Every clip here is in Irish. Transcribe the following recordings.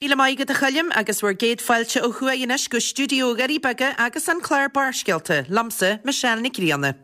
Míle maith agat a Choilm, agus bhur gcéad fáilte ó thuaidh anois go stiúideo Dhoirí Beaga agus an clár Barrscéalta, liomsa, Michelle Nic Grianna.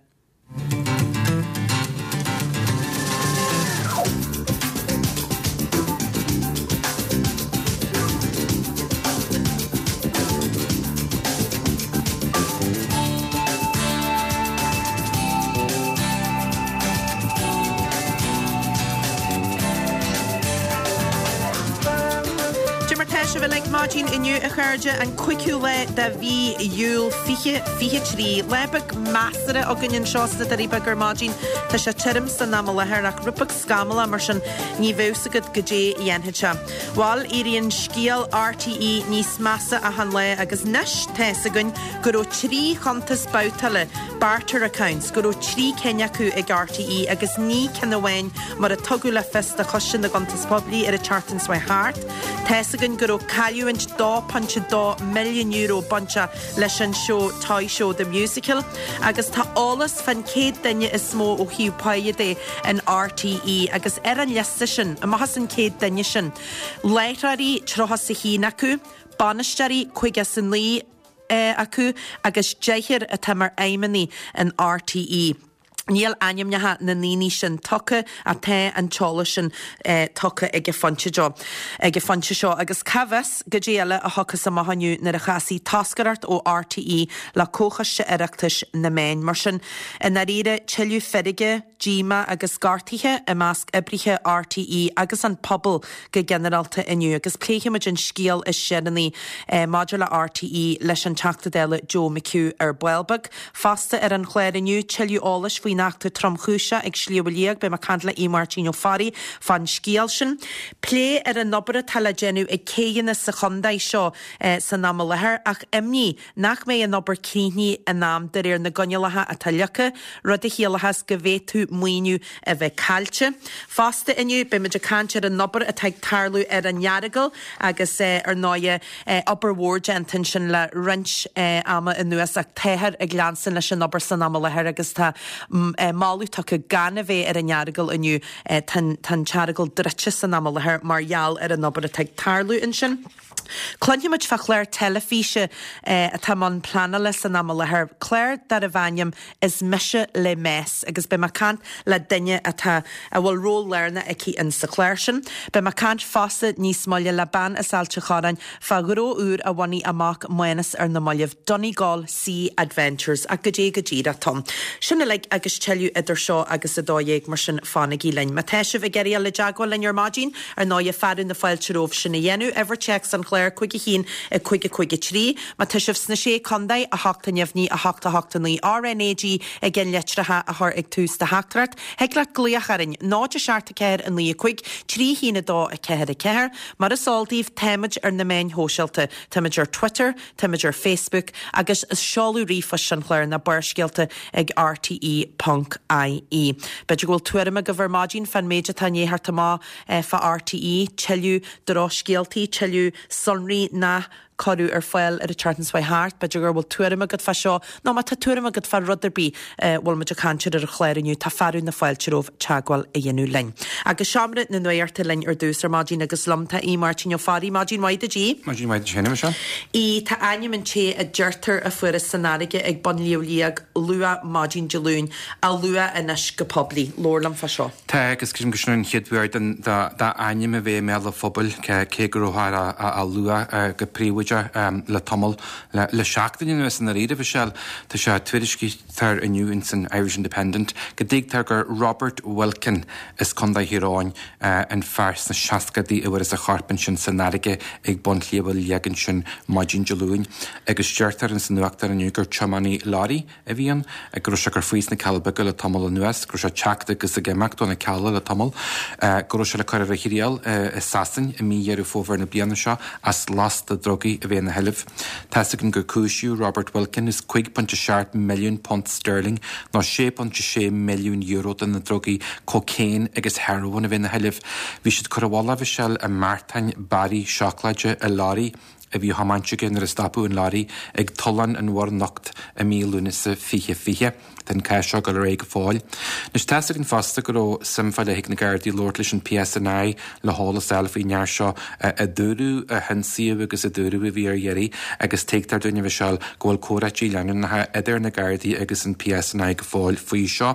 Cad é mar tá sibh uilig maidin inniu a chairde, an 5ú lá de mhí Iúil 2023. Lá beag measartha againn anseo sna Doirí Beaga ar maidin. Tá sé tirim san am i láthair ach rud beag scamallach mar sin ní bheadh 's agat goidé a dhéanfaidh sé. Bhal, éiríonn scéal RTÉ níos measa achan lá agus anois tá 's againn go raibh 3 chuntas babhtála, barter accounts, go raibh 3 cinn acu ag RTÉ agus ní ceann amháin mar a tugadh le fios do Choiste na gCuntas Poiblí ar an tseachtain seo thart. Tá 's againn go raibh cailliúint €2.2 milliún bainteach leis an seó Toy Show The Musical agus tá eolas fán 100 duine is mó ó thaobh páighe de in RTÉ agus ar an liosta sin, amach as an 100 duine sin, láithreoirí 31 acu, bainisteoirí 59 acu agus deichniúr atá mar fheidhmeannaigh in RTÉ. Níl ainmneacha na ndaoine sin tugtha ach tá an t-eolas sin tugtha ag an bhfoinse seo. Agus cá bhfios goidé eile a thiocfas amach inniu nuair a chasfaidh toscaireacht ó RTÉ le Comhchoiste Oireachtais na Meán. Mar sin, i ndáiríre, tuilleadh feirge, díomá agus gortaithe i measc oibrithe RTÉ agus an pobal go ginearálta inniu agus pléifimid an scéal is deireanaí maidir le RTÉ leis an Teachta Dála Joe McHugh ar ball beag. Fosta ar an chlár inniu, tuilleadh eolais faoin eachtra tromchúiseach ag Sliabh a Liag, beidh mé ag caint le Aodh Máirtín Ó Fearraigh fán scéal sin. Plé ar an obair atá le déanamh ag céidheanna sa chontae seo san am i láthair ach imní nach mbeidh an obair críochnaithe in am de réir na gcoinníollacha atá leagtha, rud a chiallóchas go bhféadfadh maoiniú a bheith caillte. Fosta inniu, beimid ag caint ar an obair atá ag tarlú ar an Earagail agus ar ndóighe obair mhór déanta ansin le roinnt ama anuas ach táthar ag leanstan leis an obair san am i láthair agus tá moladh tugtha gan a bheith ar an Earagail inniu. Tá an tEaragail druidte san am i láthair mar gheall ar an obair atá ag tarlú ansin. Cluinfimid fá chlár teilifíse atá i mbun pleanála san am i láthair, clár darbh ainm Is Mise Le Meas agus beidh mé ag caint le duine atá, a bhfuil ról lárnach aici in sa chlár sin. Beidh mé ag caint fosta níos moille le bean as Ailt a' Chorráin fá ghnó úr a bhunaigh a mac Mánus ar na mallaibh, Donegal Sea Adventures. Ach goidé go díreach atá ann. Sin uilig agus tuilleadh idir seo agus 12:00, mar sin fanaigí linn. Má tá sibh ag iarraidh dul i dteagmháil linn ar maidin, Ar ndóighe, fearadh na fáilte romhaibh sin a dhéanamh. Uimhir téacs an chláir, 5 1 5 5 3. Má tá sibh sna Sé Contae, 8 neamhní, 8 8 9 RnaG i gceannlitreacha a chur ag tús do theachtaireacht. Thig leat glaoch orainn, 0 7 4 9 5 3 1 2 4 4. Mar is eol daoibh, táimid ar na meáin shóisialta. Táimid ar Twitter, Táimid ar Facebook agus seoladh ríomhphoist an chláir ná Barrscéalta ag rte ponc ie. B'fhéidir go bhfuil tuairim agaibh ar maidin fán méid atá i ndiaidh theacht amach fá RTÉ, tuilleadh drochscéaltaí, tuilleadh sonraí nach cuireadh ar fáil ar an tseachtain seo thart. B'fhéidir go bhfuil tuairim agat fá seo nó má tá tuairim agat fá rud ar bith a bhfuil muid ag caint air ar an chlár inniu, tá fearadh na fáilte romhaibh teagmháil a dhéanamh linn. Agus Seomra na Nuachta linn ar dtús ar maidin agus liom tá Aodh Máirtín Ó Fearraigh. Maidin mhaith duit, Aodh. Maidin mhaith duit féin, a Mhichelle. Aodh, tá ainm an té a deirtear a fuarthas san fharraige ag bun Shliabh Liag luath maidin Dé Luain á lua anois go poiblí. Labhair liom fá seo. Tá, agus creidim gur sin an chéad uair dá ainm a bheith i mbéal an phobail, cé go rabhthar á lua go príobháideach le tamall. Le seachtain anuas i ndáiríre, a Mhichelle, tá sé tuairiscítear inniu ins an Irish Independent go dtuigtear gur Robert Wilkin as Contae Thír Eoghain an fear sna seascadaí a fuarthas a chorp ansin san fharraige ag bun Shliabh Liag ansin maidin Dé Luain agus deirtear ins an nuachtán inniu gur tiománaí leoraí a bhí ann, go raibh sé ag cur faoi sna Cealla Beaga le tamall anuas, go raibh sé ag teacht agus ag imeacht ó na Cealla le tamall, go raibh sé le cur ar a thriail i Sasain i mí Dheireadh Fómhair na bliana seo as lasta drugaí a bheith ina sheilbh. Tá's againn gur cúisíodh Robert Wilkin as £5.7 milliún punt sterling nó €6.6 milliún de na drugaí cocaine agus heroin a bheith ina sheilbh. Bhí siad ag cur i bhfolach, a Mhichelle, i mbeartáin barraí seacláide i leoraí. a bhí á thiomáint aige nuair a stopadh an leoraí ag Tollán an Mhuir Nocht i mí Lúnasa 2020. Tá an cás seo ag dul ar aghaidh go fóill. Anois, tá's againn fosta go raibh suim fá leith ag na Gardaí labhairt leis an PSNI le heolas a fháil faoin fhear seo a dúradh a hionsaíodh agus a dúradh a bhí ar iarraidh agus tuigtear dúinn, a Mhichelle, go bhfuil comhráití leanúnacha idir na Gardaí agus an PSNI go fóill faoi seo.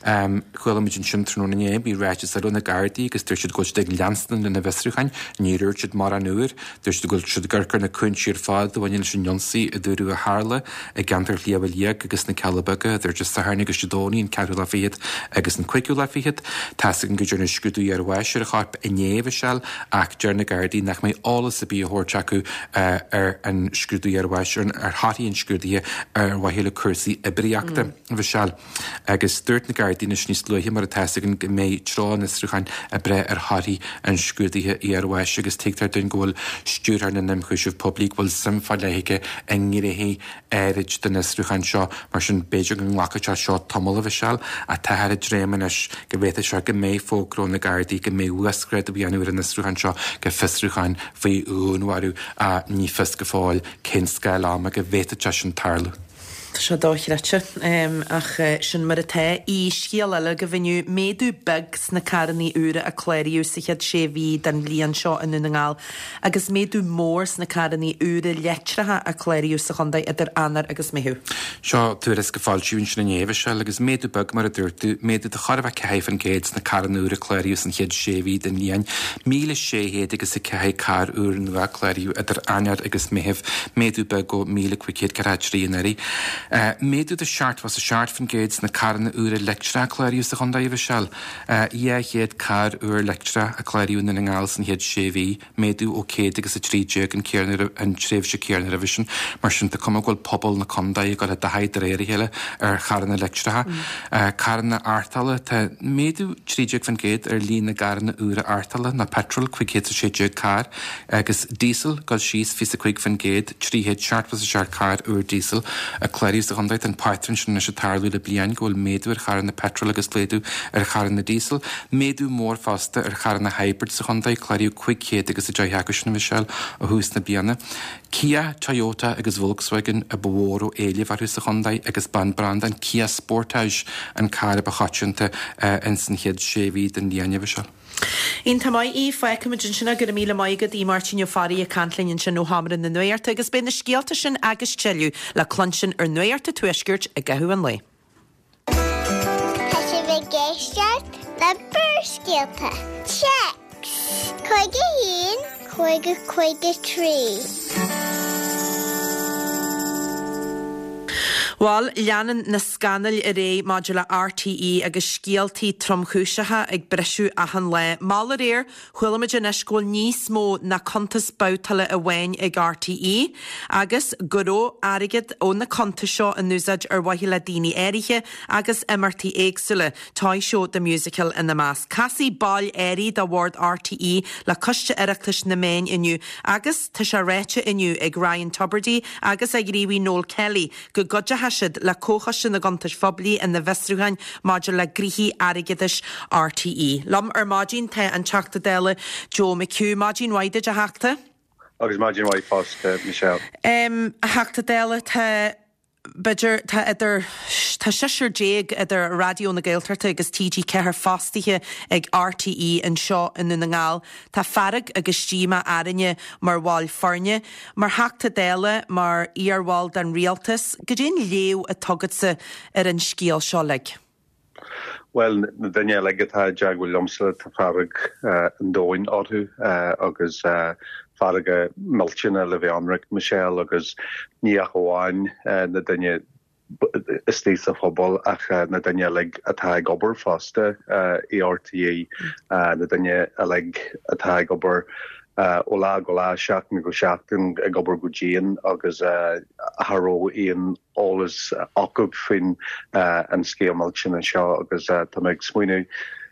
Chuala muid ansin tráthnóna inné, bhí ráiteas eile ó na Gardaí agus dúirt siad go bhfuil siad ag leanstan lena bhfiosrúcháin. Níor dhúirt siad mórán úr. Dúirt siad go bhfuil siad ag amharc ar na cúinsí ar fad a bhaineann leis an ionsaí a dúradh a tharla i gceantar Shliabh Liag agus na Cealla Beaga idir Dé Sathairn agus Dé Domhnaigh, an ceathrú lá fichead agus an cúigiú lá fichead. Tá's againn go ndearnadh scrúdú iarbháis ar a chorp inné, a Mhichelle, ach deir na Gardaí nach mbeidh eolas ar bith á thabhairt acu ar an scrúdú iarbháis, ar thorthaí an scrúdaithe ar mhaithe le cúrsaí oibríochta, a Mhichelle. Agus dúirt na Gardaí anois níos luaithe, mar atá 'fhios againn, go mbeidh treo an fhiosrúcháin ag brath ar thorthaí an scrúdaithe iarbháis agus tuigtear dúinn go bhfuil Stiúrthóir na nIomchúiseamh Poiblí, go bhfuil suim fá leith aige i ngnéithe áirid den fhiosrúchán seo, mar sin b'fhéidir go nglacfaidh sé seo tamall, a Mhichelle, ach táthar ag dréim anois go bhféadfadh sé go mbeidh fógra ó na Gardaí go mbeidh uasghrádú á dhéanamh ar an fhiosrúchán seo go fiosrúchán faoi dhúnmharú ach ní fios go fóill cén scála ama go bhféadfadh sé sin tarlú. Tá sé dochreidte, ach sin mar atá. I scéal eile agaibh inniu, méadú beag sna carrannaí úra a cláraíodh sa chéad sé mhí den bhliain seo i nDún na nGall agus méadú mór sna carrannaí úra leictreacha a cláraíodh sa chontae idir Eanáir agus Meitheamh. Seo tuairisc a foilsíodh ansin inné, a Mhichelle, agus méadú beag, mar a dúirt tú, méadú de chóir a bheith 4% sna carranna úra a cláraíodh san chéad sé mhí den bhliain. 1,600 agus 4 carr úr nua a cláraíodh idir Eanáir agus Meitheamh, méadú beag ó 1,543 anuraidh. Méadú de 77% sna carranna úra leictreacha a cláraíodh sa chontae, a Mhichelle. 200 carr úr leictreach a cláraíodh i nDún na nGall san chéad sé mhí, méadú ó 100 agus 13 an an tréimhse céanna roimhe sin. Mar sin, tá cuma go bhfuil pobal na contae ag dul i dtaithí de réir a chéile ar charranna leictreacha. Carranna arrtála, tá méadú 13% ar líon na gcarranna úra arrtála, ná petrol, 516 carr. Agus díosal ag dul síos 25%, 377 carr úr díosail a cláraíodh sa chontae. Tá an pátrún sin anois ag tarlú le bliain, go bhfuil méadú ar charranna peitril agus laghdú ar charranna díosail. Méadú mór fosta ar charranna hybrid sa chontae, cláraíodh 510 acu sin, a Mhichelle, ó thús na bliana. Kia, Toyota agus Volkswagen a ba mhó a raibh éileamh orthu sa chontae agus b'an branda an Kia Sportage an carr a ba choitianta ins an chéad sé mhí den bhliain, a Mhichelle. Iontach maith í. Fágfaimid ansin é. Go raibh míle maith agat, a Mháirtín Ó Fearraigh ag caint linn ansin ó Sheomra na Nuachta agus beidh na scéalta sin agus tuilleadh le cluinstin ar Nuacht an Tuaiscirt i gcaitheamh an lae. Tá sibh ag éisteacht le Barrscéalta. Téacs 51 50 53. Bhuel, leanann na scannail ar aghaidh maidir le RTÉ agus scéaltaí tromchúiseacha ag briseadh achan lá. Mall aréir, chuala muid anois go bhfuil níos mó ná cuntas babhtála amháin ag RTÉ agus go raibh airgead ó na cuntais seo in úsáid ar mhaithe le daoine áirithe agus imeachtaí éagsúla, Toy Show The Musical ina measc. Casfaidh baill áirithe de bhord RTÉ le Coiste Oireachtais na Meán inniu agus tá sé ráite inniu ag Ryan Tubridy agus a ghníomhaí Noel Kelly go gcuideoidh siad le Comhchoiste na gCuntas Phoiblí ina bhfiosrúcháin maidir le gnoithí airgeadais RTÉ. Liom ar maidin tá an Teachta Dála Joe McHugh. Maidin mhaith duit, a Theachta. Agus maidin mhaith fosta, Michelle. A Theachta Dála, tá, b'fhéidir, tá idir, tá seisear déag idir Raidió na Gaeltachta agus TG4 fostaithe ag RTÉ anseo i nDún na nGall. Tá fearg agus díomá orainne mar bhaill foirne. Mar Theachta Dála, mar iarbhall den Rialtas, goidé an léamh atá agatsa ar an scéal seo uilig? Bhuel, na daoine uilig atá i dteagmháil liomsa, tá fearg an domhain orthu agus fearg millteanach le bheith ionraic, Michelle, agus ní ach amháin na daoine istigh sa phobal ach na daoine uilig atá ag obair fosta i RTÉ, na daoine uilig atá ag obair ó lá go lá, seachtain go seachtain, ag obair go dian agus cha raibh aon eolas acu faoin an scéal millteanach seo agus tá mé ag smaoineamh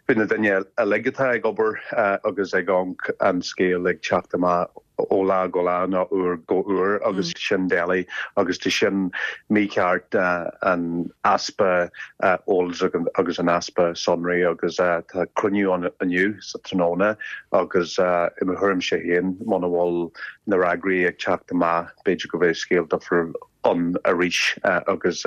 faoi na daoine uilig atá ag obair agus ag amharc an scéal ag teacht amach. ó lá go lá nó uair go huair agus sin doiligh agus tá sin mícheart an easpa eolas agus an easpa sonraí agus tá cruinniú ann inniu sa tráthnóna agus i mo thuairimse féin muna bhfuil na fhreagraí ag teacht amach b'fhéidir go bheidh scéal difriúil ann arís agus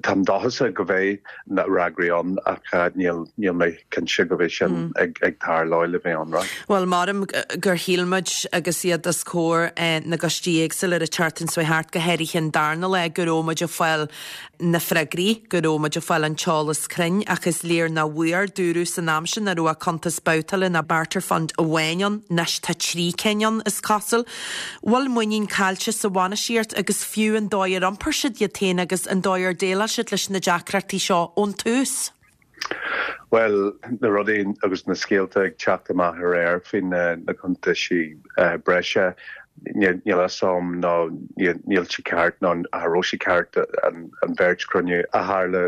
táim dóchasach go bheidh na fhreagraí ann ach níl níl mé cinnte go bheidh sin ag ag tarlú le bheith ionraic. Bhuel, maram gur shíl muid agus iad os comhair na gcoistí éagsúla ar an tseachtain seo thart, go háirithe an darna lá, go raibh muid ag fáil na freagraí, go raibh muid ag fáil an t-eolas cruinn ach is léir nach bhfuair. Dúradh san am sin nach raibh ach cuntas babhtála ná barter fund amháin ann, anois tá 3 cinn ann, is cosúil. Bhfuil muinín caillte sa bhainistíocht agus fiú an dóigh ar iompair siad iad féin agus an dóigh ar déileáil siad leis na deacrachtaí seo ón tús? Bhuel, na rudaí agus na scéalta ag teacht amach aréir faoi na cuntaisí breise, níl a fhios agam nó níl sé ceart nó cha raibh sé ceart an bheirt chruinniú a tharla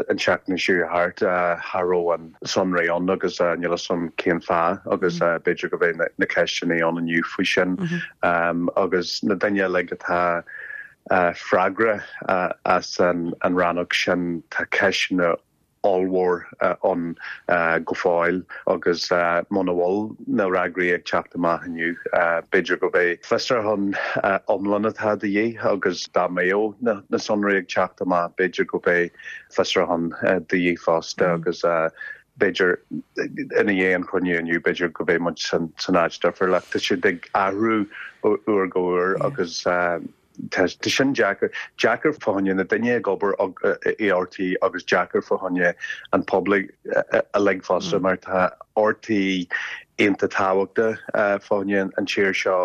an tseachtain seo thart, cha raibh an sonraí ann agus níl a fhios agam cén fáth agus b'fhéidir go bheidh na ceisteanna ann inniu faoi sin agus na daoine uilig atá freagrach as an rannóg sin tá ceisteanna ollmhór ann go fóill agus muna bhfuil na fhreagraí ag teacht amach inniu, b'fhéidir go mbeidh fiosrúchán iomlán atá de dhíth agus dá mbeadh na sonraí ag teacht amach, b'fhéidir go mbeidh fiosrúchán de dhíth fosta agus b'fhéidir ina dhiaidh an chruinniú inniu, b'fhéidir go mbeidh muid san áit difriúil ach tá siad ag athrú ó uair go huair agus Tá sin deacair. Deacair fá choinne na daoine ag obair i RTÉ agus deacair fá choinne an pobail uilig fosta mar tá RTÉ iontach tábhachtach fá choinne an tír seo,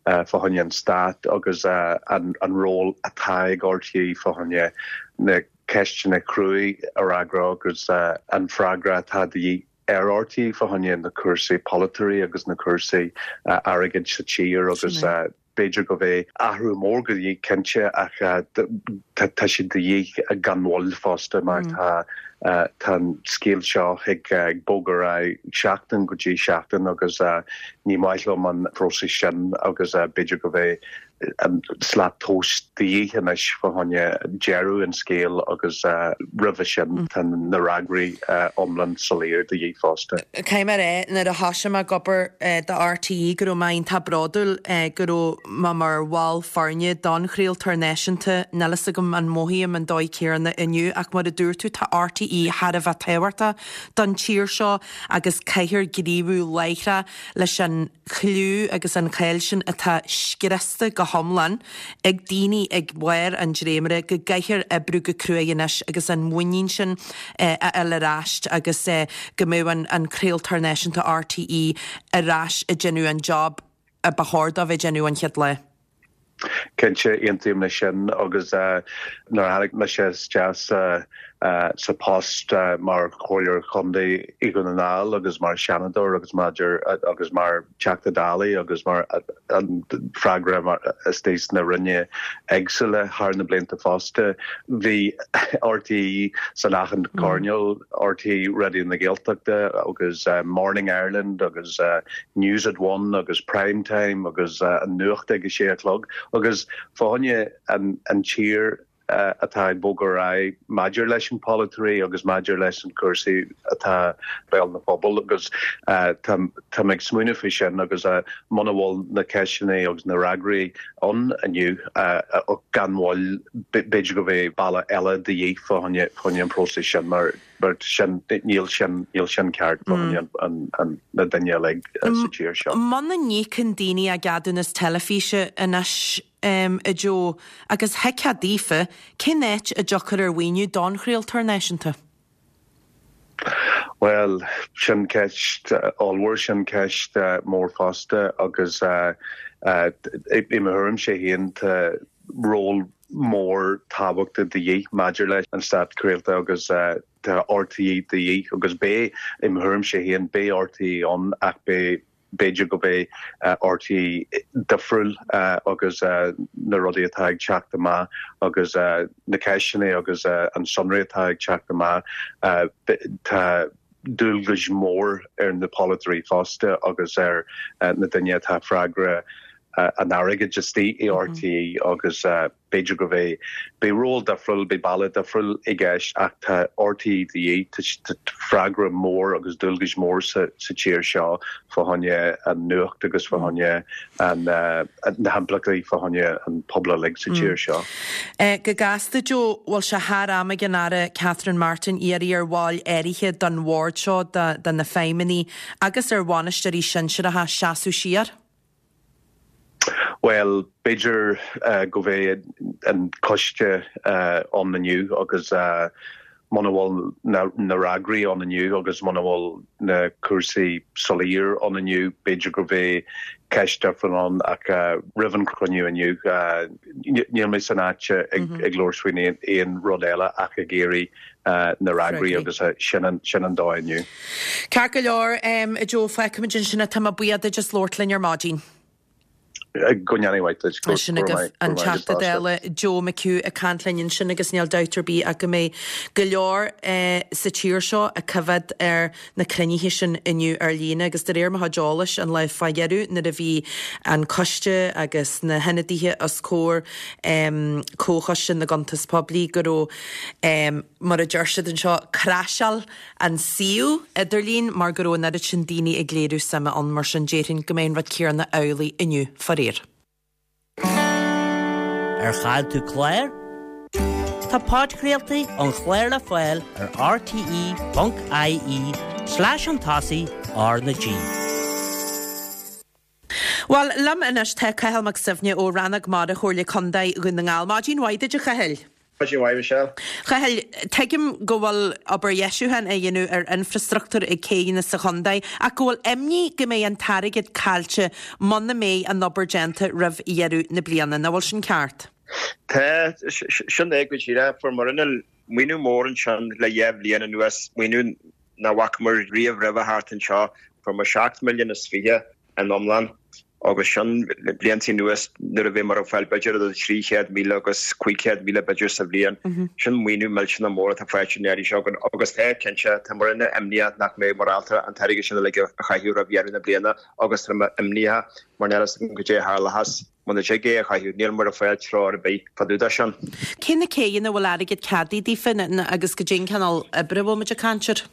fá choinne an stát agus an ról atá ag RTÉ fá choinne na ceisteanna cruaidh a fhreagra agus an freagra atá de dhíth ar RTÉ fá choinne na cúrsaí polaitiúla agus na cúrsaí airgid sa tír agus B'fhéidir go mbeidh athrú mór de dhíth cinnte ach tá sé de dhíth gan mhoill fosta mar tá tá an scéal seo ag bogadh ar aghaidh seachtain go dtí seachtain agus ní maith liom an próiseas sin agus b'fhéidir go mbeidh an slat tomhais de dhíth anois fá choinne deireadh an scéil agus roimhe sin tá na fhreagraí iomlán soiléir de dhíth fosta. Caithfidh mé a rá, nuair a thoisigh mé ag obair do RTÉ go raibh mé iontach bródúil go raibh mé mar bhall foirne don chraoltóir náisiúnta. Níl fhios agam an mothaím an dóigh céanna inniu ach mar a dúirt tú tá RTÉ thar a bheith tábhachtach don tír seo agus caithfear gníomhú láithreach leis an chliú agus an cháil sin atá scriosta go hiomlán ag daoine ag barr an dréimire, go gcaithfear oibriú go cruaidh anois agus an mhuinín sin a fháil ar ais agus go mbeadh an craoltóir náisiúnta RTÉ ar ais ag déanamh an job a ba chóir dó bheith ag déanamh an chéad lá. Cinnte, aontaím leis sin agus nuair a tháinig mise isteach sa sa post mar Chomhairleoir Chontae i Dhún na nGall agus mar Sheanadóir agus maidir agus mar Teachta Dála agus mar an freagra mar istigh sna Ranna éagsúla thar na blianta fosta. Bhí RTÉ san achan choirnéal, RTÉ Raidió na Gaeltachta agus Morning Ireland agus News at One agus Prime Time agus an nuacht ag a sé a chlog agus fá choinne an tír atá ag bogadh ar aghaidh maidir leis an polaiteoirí agus maidir leis an cúrsaí atá béal na phobal agus táim ag smaoineamh faoi sin agus muna bhfuil na ceisteanna agus na fhreagraí ann inniu gan mhoill b'fhéidir go mbeidh bealach eile de dhíth fá choinne an próiseas sin mar mar sin níl sin níl sin ceart fá choinne na daoine uilig sa tír seo. Muna n-íocann daoine a gceadúnas teilifíse anois a Joe, agus thuigfeá daofa, cén áit a dtiocfar ar mhaoiniú don chraoltóir náisiúnta? Bhuel, sin ceist ollmhór, sin ceist mór fosta agus i mo thuairimse féin tá ról mór tábhachtach de dhíth maidir leis an stát craolta agus tá RTÉ de dhíth agus beidh, i mo thuairimse féin, beidh RTÉ ann ach beidh b'fhéidir go mbeidh RTÉ difriúil agus na rudaí atá ag teacht amach agus na ceisteanna agus an sonraí atá ag teacht amach, tá. dualgais mór ar na polaiteoirí fosta agus ar na daoine atá freagra an airgid istigh i RTÉ agus b'fhéidir go bheidh, beidh ról difriúil, beidh bealach difriúil i gceist ach tá RTÉ de dhíth, tá freagra mór agus dualgais mór sa tír seo fá choinne an nuacht agus fá choinne na himpleachtaí fá choinne an pobal uilig sa tír seo. Go gasta, Joe, bhfuil sé thar am ag an Aire Catherine Martin iarraidh ar bhaill áirithe den bhord seo, de na feidhmeannaigh agus ar bhainisteoirí sinsearacha seasamh siar? Bhuel, b'fhéidir go mbeidh an coiste ann inniu agus muna bhfuil na fhreagraí ann inniu agus muna bhfuil na cúrsaí soiléir ann inniu, b'fhéidir go mbeidh ceist difriúil ann ach roimh an chruinniú inniu, níl mé san áit ag labhairt faoin aon rud eile ach ag iarraidh na fhreagraí agus sin an dóigh inniu. Ceart go leor, a Joe, fágfaimid ansin é. Tá mé buíoch duit as labhairt linn ar maidin. Go ndéana mhaith duit. Go Sin agaibh an Teachta Dála Joe McHugh ag caint linn ansin agus níl dabht ar bith ach go mbeidh go leor sa tír seo ag coimhéad ar na cruinnithe sin inniu ar líne agus de réir mo chuid eolais an lá fá dheireadh nuair a bhí an coiste agus na hionadaithe os comhair Comhchoiste na gCuntas Poiblí go raibh mar a deir siad anseo, craiseáil an suíomh idirlín mar go raibh an oiread sin daoine ag léiriú suime ann, mar sin déarfainn go mbeidh an rud céanna amhlaidh inniu, faraor. Ar chaill tú clár? Tá podchraoltaí an chláir le fáil ar rte.ie slash chun tosaigh R na G. Bhuel, liom anois tá Cathal Mac Suibhne ó Rannóg Mara Chomhairle Contae Dhún na nGall. Maidin mhaith duit, a Chathail. Maidin mhaith, Michelle. Chathail, tuigim go bhfuil obair dheisiúcháin á dhéanamh ar infreastruchtúr ag céidheanna sa chontae ach go bhfuil imní go mbeidh an t-airgead caillte muna mbeidh an obair déanta roimh dheireadh na bliana. Nach bhfuil sin ceart? Tá, sin é go díreach. Fuair muidne maoiniú mór ansin le dheich bhliain anuas, maoiniú nach bhfacamar riamh roimhe thart anseo. Fuair muid 7 milliún is 20 in iomlán agus sin blianta anuas nuair a bhí muid ag fáil b'fhéidir idir 300,000 agus 500,000 b'fhéidir sa bhliain. Sin maoiniú millteanach mór atá faighte an iarraidh seo againn agus tá cinnte, tá muidne imníoch nach mbeidh muid ábalta an t-airgead sin uilig a chaitheamh roimh dheireadh na bliana agus tá muid imníoch mar níl a fhios againn goidé a tharlóchas muna dtig é a chaitheamh. Níl muid ag fáil treoir ar bith fá dtaobh de sin. Cé na céidheanna a bhfuil airgead ceadaithe daofa agus goidé an cineál oibre a bhfuil muid ag caint air?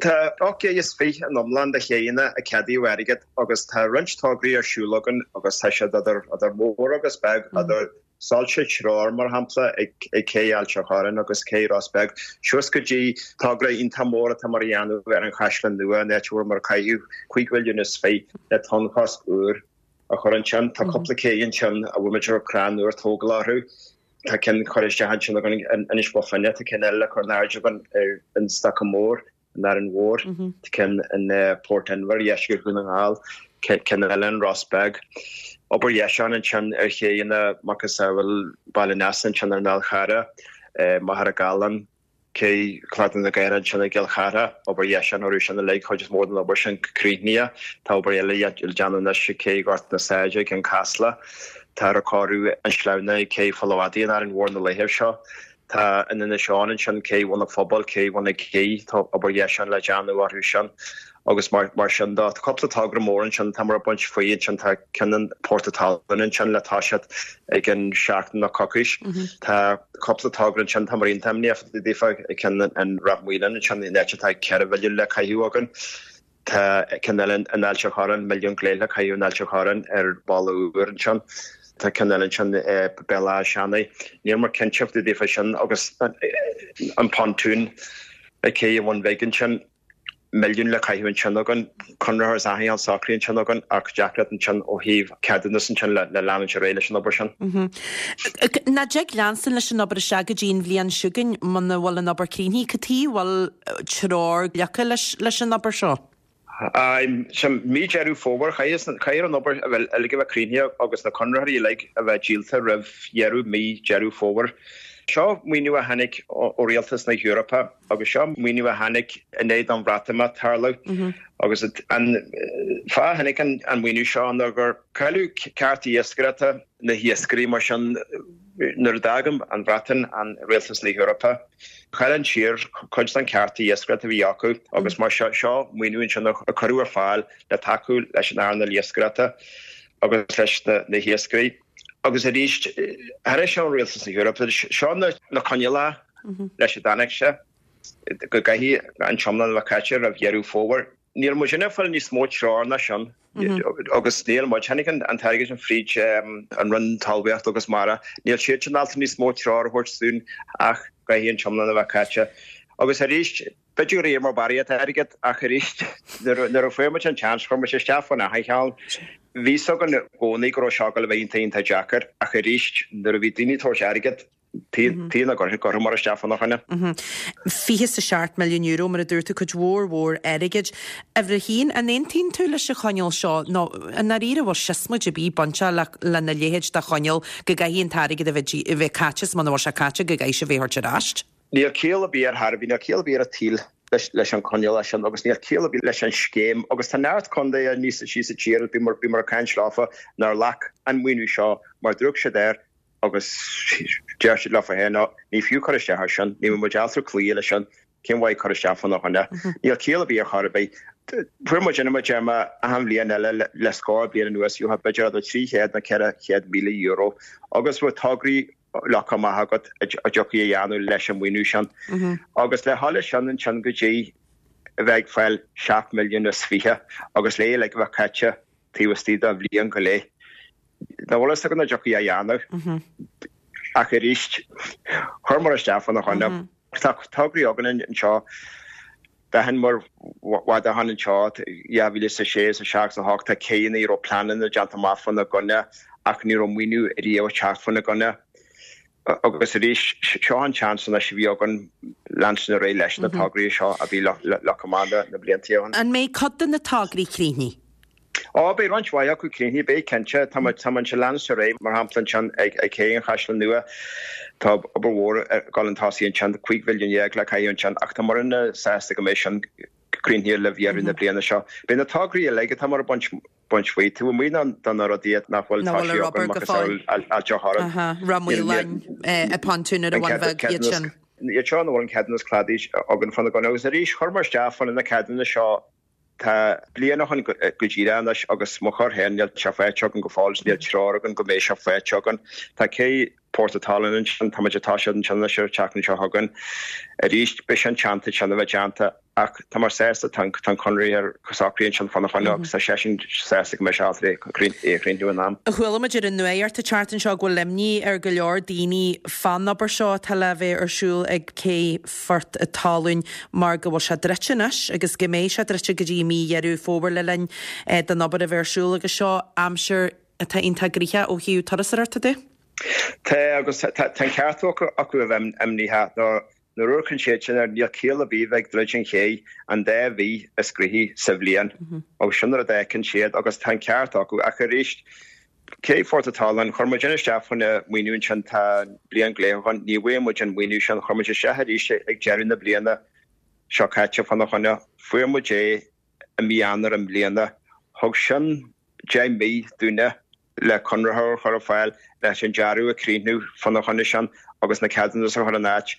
Tá 28 in iomlán de chéidheanna a ceadaíodh airgead agus tá roinnt tograí ar siúl againn agus tá siad idir idir mór agus beag, idir soilse treoir, mar shampla, ag Cé Ailt a' Chorráin agus Cé Ros Beag, suas go dtí togra iontach mór atá muid a dhéanamh ar an Chaisleán Nua, an áit a bhfuil muid ag caitheamh 5 mhilliún is 20 le tonnchosc úr a chur ansin. Tá cúpla cé ansin a bhfuil muid ag crann úr tógáil orthu. Tá ceann curtha isteach ansin againn in Inis Bó Finne, tá ceann eile le cur in airde againn ar an Stoca Mór in Árainn Mhór, tá ceann in Port Inbhir, deisceart Dhún na nGall, ceann eile in Ros Beag. Obair dheisiúcháin ansin ar chéidheanna macasamhail Baile an Easa ansin ar an Fhál Charrach, Machaire Galán, Cé Cladach na Gaoithe ansin i gCill Chartha, obair dheisiúcháin orthu sin uilig, chuid is mó den obair sin críochnaithe. Tá obair eile le déanamh anois ag Cé Ghort na Sáide i gCeann Caslach. Táthar ag cóiriú an sleamhna ag Cé Pholl a' Mhadaidh in Árainn Mhór na laetha seo. Tá in Inis Eoghain ansin Cé Bhun an Phobail, Cé Bhun na Cé, tá obair dheisiúcháin le déanamh orthu sin. Agus mar sin de, tá cúpla togra mór ansin atá muid ag baint faoi ansin, tá ceann in Port a' Talún ansin le toiseacht i gceann seachtain nó coicís. Tá cúpla togra ansin atá muid iontach imníoch daofa, ceann in Ráth Maoláin ansin, in áit atá 4 mhilliún le caitheamh againn. Tá ceann eile in Ailt a' Chorráin, milliún go leith le caitheamh in Ailt a' Chorráin ar bhalla úr ansin. Tá ceann eile ansin i Béal Átha Seanaidh. Níl muid cinnte daofa sin agus an pontoon ag Cé an Bhun Bhig ansin. milliún le caitheamh ansin againn, conraitheoir is achan rud socraithe ansin againn ach deacracht ansin ó thaobh ceadúnas ansin le leanúint ar aghaidh leis an obair sin. Nach dtig leanstan leis an obair isteach go dtí an bhliain seo chugainn muna bhfuil an obair críochnaithe. Cad chuige a bhfuil treoir glactha leis an obair seo? Aye, sin mí Deireadh Fómhair, caithfear an obair a bheith uilig a bheith críochnaithe agus na conraitheoirí uilig a bheith díolta roimh dheireadh mí Deireadh Fómhair. Seo maoiniú a tháinig ó Rialtas na hEorpa agus seo maoiniú a tháinig i ndiaidh don Bhreatimeacht tarlú agus an fáth a tháinig an maoiniú seo ná gur cailleadh cearta iascaireachta na hiascairí mar sin nuair a d'fhág an Bhreatain an Rialtas na hEorpa chaill an tír cuid den cearta iascaireachta a bhí acu agus mar seo seo maoiniú ansin a cuireadh ar fáil le tacú leis an earnáil iascaireachta agus leis na hiascairí. Agus arís, tháinig sé ó Rialtas na hEorpa, seo na coinníollacha leis a dtáinig sé, go gcaithfidh an t-iomlán a bheith caite roimh Dheireadh Fómhair. Níl muid ag fáil níos mó treoir ná sin agus níl muid, tháinig an t-airgead sin fríd an Roinn Talmhaíochta agus Mara, níl siadsan ábalta níos mó treoir a thabhairt dúinn ach go gcaithfidh an t-iomlán a bheith caite. Agus arís, B'fhéidir gur iarr muid barraíocht airgid ach arís nuair a fuair muid an seans chuir muid isteach faoin achan cheann. Bhí fhios againn i gcónaí go raibh seo ag dul a bheith iontach iontach deacair ach arís nuair a bhí daoine ag tabhairt airgid tuige nach gcuirfeadh muid isteach fána choinne. €27 milliún mar a dúirt tú, cuid mhór mhór airgid. Uimhir a haon, an aontaíonn tú leis an choinníoll seo nó i ndáiríre bhfuil siosmaid ar bith bainteach lena leithéid de choinníoll go gcaithfidh an t-airgead a bheith caite is muna bhfuil sé caite go gcaithfidh sé a bheith a thabhairt ar ais? Níl ciall ar bith ar chor ar bith, níl ciall ar bith ar an tsaol leis an choinníoll sin agus níl ciall ar bith leis an scéim agus tá neart contaetha níos síos sa tír, bhíomar ag caint leofa, nár ghlac an maoiniú seo mar d'amharc siad air agus deir siad leofa féin, no, ní fiú cur isteach air sin, ní bheidh muid ábalta cloí leis sin, cén mhaith cur isteach fána choinne. Níl ciall ar bith ar chor ar bith. Fuair muid in mar a deir mé achan bhliain eile le scór bliain anuas, gheofá b'fhéidir idir 300 nó €400,000 agus bheadh tograí leagtha amach agat a dtiocfaí a dhéanamh leis an maoiniú sin. Agus le dhul leis sin ansin go dtí a bheith ag fáil 7 milliún is 20 agus le uilig a bheith caite taobh istigh de bhliain go leith. Nach bhfuil fhios againn an dtiocfaí a dhéanamh. Ach arís, chuireamar isteach fána choinne. Tá tograí againn anseo. D'aithin muid i bhfad ó shin anseo, 2006, 7, 8, tá céanna a raibh pleananna déanta amach fána gcoinne ach ní raibh maoiniú riamh ag teacht fána gcoinne. Agus arís, seo an seans anois a bhí againn leanstan ar aghaidh leis na tograí seo a bhí leagtha amach na blianta ó shin. An mbeidh cuid de na tograí críochnaithe? Ó, beidh roinnt mhaith acu críochnaithe, beidh cinnte. Tá muid, tá muid ag leanstan ar aghaidh, mar shampla ansin ag Cé an Chaisleáin Nua, tá obair mhór ag dul chun tosaigh ansin, 15 mhilliún le caitheamh ansin ach tá muidne sásta go mbeidh sin críochnaithe roimh dheireadh na bliana seo. Beidh na tograí uilig atá muid ag baint, baint faoi, taobh amuigh de na rudaí nach bhfuil Nach bhfuil toisithe ar againn, obair go macasamhail fóill. Ailt a' Chorráin. Aha, Ráth Maoláin, an pontún ar an Bhun Bheag, iad sin. Iad seo nach bhfuil an ceadúnas cladaigh againn fána gcoinne agus arís chuireamar isteach fá na ceadúnais seo Tá bliain ó shin go díreach anois agus mo chor féin níl sé faighte againn go fóill is níl treoir againn go mbeidh sé faighte againn. Tá cé Port a' Talún ansin, tá muid ag toiseacht ansin anois ar an tseachtain seo chugainn. Arís beidh sin teannta sin a bheith déanta ach tá muid sásta tá an conraitheoir socraithe ansin fána choinne agus tá seisean sásta go mbeidh sé ábalta é a chríochnú in am. Chuala muid ar an nuacht an tseachtain seo go bhfuil imní ar go leor daoine fán obair seo atá le bheith ar siúl ag cé Phort a' Talún mar go bhfuil sé druidte anois agus go mbeidh sé druidte go dtí mí Dheireadh Fómhair le linn don obair a bheith ar siúl agus seo aimsir atá iontach gnoitheach ó thaobh turasóireachta de. Tá agus tá an ceart acu a bheith imníoch nuair a amharcann siad sin air níl ciall ar bith bheith ag druid an ché an dá mhí is gnoithí sa bhliain agus sin rud a fheiceann siad agus tá an ceart acu ach arís Cé Phort a' Talún, chuir muid isteach fá choinne maoiniú ansin, tá bliain go leith ó shin, ní bhfuair muid an maoiniú sin, chuir muid isteach arís ag deireadh na bliana seo caite fána choinne, fuair muid é i mí Eanáir i mbliana, thug sin 10 mí dúinne le conraitheoir a chur ar fáil, leis an dearadh a chríochnú fána choinne sin agus na ceadúnais a chur in áit.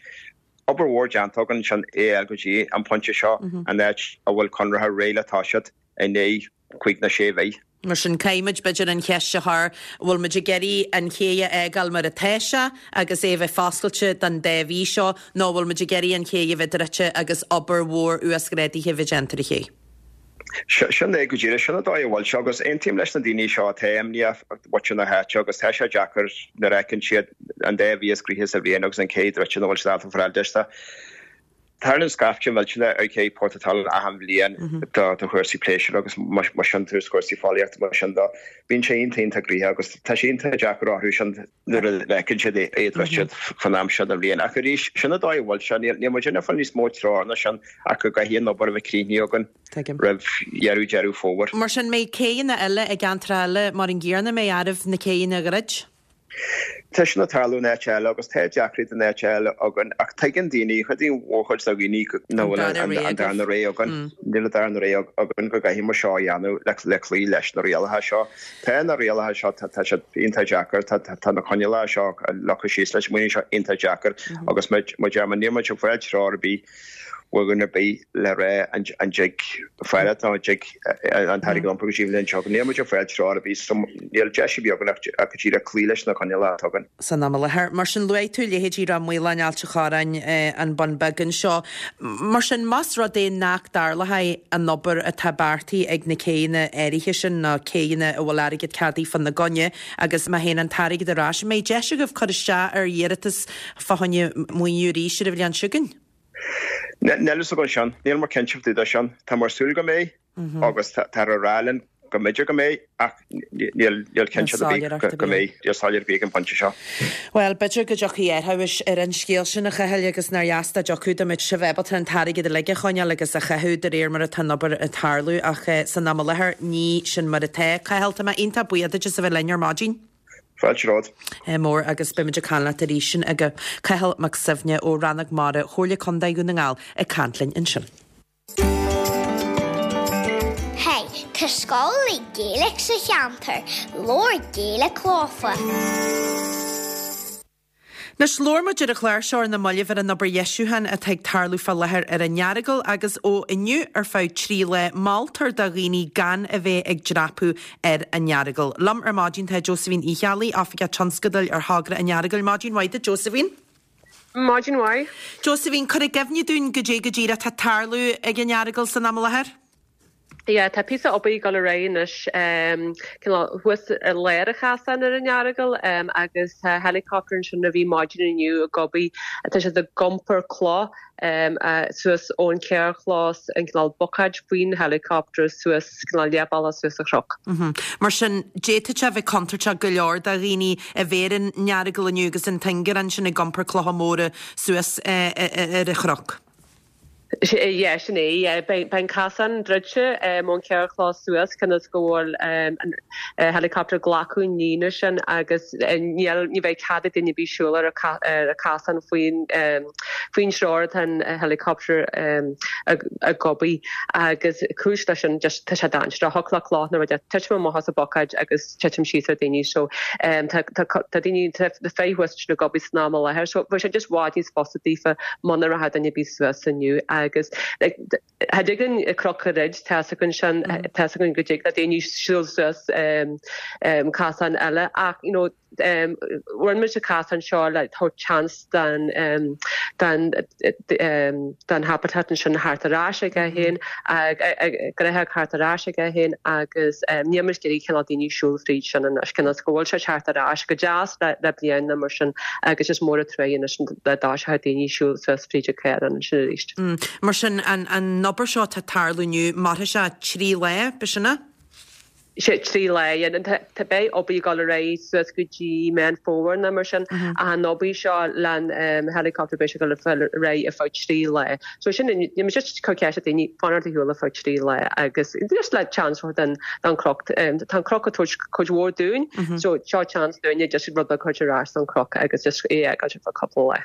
Obair mhór déanta againn ansin é a fháil go dtí an pointe seo, an áit a bhfuil conraitheoir réidh le toiseacht i ndiaidh cúig nó sé mhí. Mar sin, caithfimid, b'fhéidir, an cheist a chur, an bhfuil muid ag iarraidh an ché a fhágáil mar atá sé agus é a bheith foscailte don dá mhí seo, nó an bhfuil muid ag iarraidh an ché a bheith druidte agus obair mhór uasghrádaithe a bheith déanta ar an ché? Sin é go díreach, sin an dóigh a bhfuil sé agus aontaím leis na daoine seo atá imníoch, muintir na háite agus tá sé deacair nuair a fheiceann siad an dá mhí is gnoithí sa bhliain agus an ché druidte nach bhfuil siad ábalta fáil deis. Tarlaíonn scaifte millteanach ar ché Port a' Talún achan bhliain do chúrsaí pléisiúir agus mar sin de chúrsaí fóillíochta mar sin de. Bíonn sé iontach iontach gnoitheach agus tá sé iontach deacair orthu sin nuair a fheiceann siad é druidte fán am seo den bhliain. Ach arís, sin an dóigh a bhfuil sé. Níl muid ag fáil níos mó treoir ná sin ach go gcaithfidh an obair a bheith críochnaithe againn roimh dheireadh Deireadh Fómhair. Mar sin, mbeidh céanna eile i gceantracha eile mar an gcéanna, mbeidh áireamh na céanna a dhruid? Tá sin ag tarlú in áit eile agus tá deacracht in áit eile againn ach tuigeann daoine, chuid mhórchuid de dhaoine nach bhfuil an darna rogha againn, níl an darna rogha againn go gcaithfidh muid seo a dhéanamh le cloí leis na rialacha seo. Tá na rialacha seo, tá siad iontach deacair, tá na coinníollacha seo leagtha síos leis an maoiniú seo iontach deacair agus mar a deir mé, níl muid ag fáil treoir ar bith ó dhuine ar bith le rá an dtig fanacht nó an dtig an t-airgead a iompar go dtí an bhliain seo chugainn. Níl muid ag fáil treoir ar bith so níl deis ar bith againn ach go díreach cloí leis na coinníollacha atá againn. San am i láthair. Mar sin, luaigh tú leithéidí Ráth Maoláin, Ailt an Chorráin, an Bun Beag anseo. Mar sin, más rud é nach dtarlóidh an obair atá beartaithe ag na céanna áirithe sin, nó céanna a bhfuil airgead ceadaithe fána gcoinne, agus má théann an t-airgead ar ais, an mbeidh deis agaibh cur isteach ar iarratas fá choinne maoiniú arís ar an bhliain seo chugainn? Níl a fhios againn sin. Níl muid cinnte fá dtaobh de sin. Tá muid ag súil go mbeidh agus táthar ag rá linn go mb'fhéidir go mbeidh ach níl cinnteacht ar bith go mbeidh. Níl soiléireacht ar bith ag an bpointe seo. Bhuel, b'fhéidir go dtiocfaidh athrú ar an scéal sin, a Chathail, agus nár dheas dá dtiocfadh, dá mbeadh sibh ábalta an t-airgead uilig a choinneáil agus a chaitheamh de réir mar atá an obair ag tarlú ach san am i láthair ní sin mar atá. Cathal, tá mé iontach buíoch duit as a bheith linn ar maidin. Fáilte romhat. mór agus beimid ag caint leat arís sin agaibh. Cathal Mac Suibhne ó Rannóg Mara Chomhairle Contae Dhún na nGall ag caint linn ansin. Hey, tá scoil Gaeilge sa cheantar, labhair Gaeilge leofa. Anois, labhair muid ar an chlár seo ar na mallaibh ar an obair dheisiúcháin atá ag tarlú fá láthair ar an Earagail agus ó inniu ar feadh 3 lá, moltar do dhaoine gan a bheith ag dreapadh ar an Earagail. Liom ar maidin tá Josephine Uí Cheallaigh, Oifigeach Tionscadail ar thogra an Earagail. Maidin mhaith duit, Josephine. Maidin mhaith. Josephine, cuir i gcuimhne dúinn goidé go díreach atá ag tarlú ag an Earagail san am i láthair. Yeah, tá píosa obair ag dul ar aghaidh anois, cineál thuas i lár an chasáin ar an Earagail agus tá helicopter ansin a bhí maidin inniu ag obair, tá siad ag iompar cloch suas ón charrchlós, an cineál bucáid faoin helicopter suas cineál leathbhealach suas an chnoc. Mar sin, d'fhéadfadh sé a bheith contúirteach go leor do dhaoine a bheith ar an Earagail inniu agus an t-ingearán sin ag iompar clocha móra suas ar an chnoc. Yeah, sin é, yeah. Beidh an casán druidte ón charrchlós suas cionn is go bhfuil an helicopter ag glacadh an líne sin agus níl, ní bheidh cead ag duine ar bith siúl ar an casán faoin faoin treoir atá an helicopter ag obair agus cúis leis sin just tá sé dainséarach, thiocfadh le cloch nó rud titim amach as an bhucáid agus titim síos ar daoine so tá daoine tá na fir thuas ansin ag obair san am i láthair so bheadh sé just i bhfad níos fusa daofa muna rachadh duine ar bith suas inniu agus like cha dtig linn cnoc a dhruid tá's againn sin tá's againn go dtig le daoine siúl suas casán eile ach you know rinne muid an casán seo le tabhairt chance don don don habitat ansin theacht ar ais aige féin, gnáthóg theacht ar ais aige féin agus níl muid ag iarraidh cineál daoine siúl fríd sin anois, cionn is go bhfuil sé teacht ar ais go deas le bliain nó mar sin agus is mór an truaighe anois dá dtoiseochadh daoine siúl suas fríd an chaorán ansin arís. Mar sin, an obair seo atá ag tarlú inniu, mairfidh sé 3 lá, b'shin é? Sé 3 lá, yeah. Tá beidh obair ag dul ar aghaidh suas go dtí Meán Fómhair nó mar sin ach an obair seo leis an helicopter beidh sé ag dul ar aghaidh ar feadh 3 lá. So sin níl muid just ag cur ceist ar daoine fanacht ar shiúl ar feadh 3 lá agus just le chance a thabhairt don don chnoc. Tá an cnoc ag tabhairt cuid mhór dúinn so seo chance dúinne just rud beag a thabhairt ar ais don chnoc agus just é a fhágáilt ar feadh cúpla lá.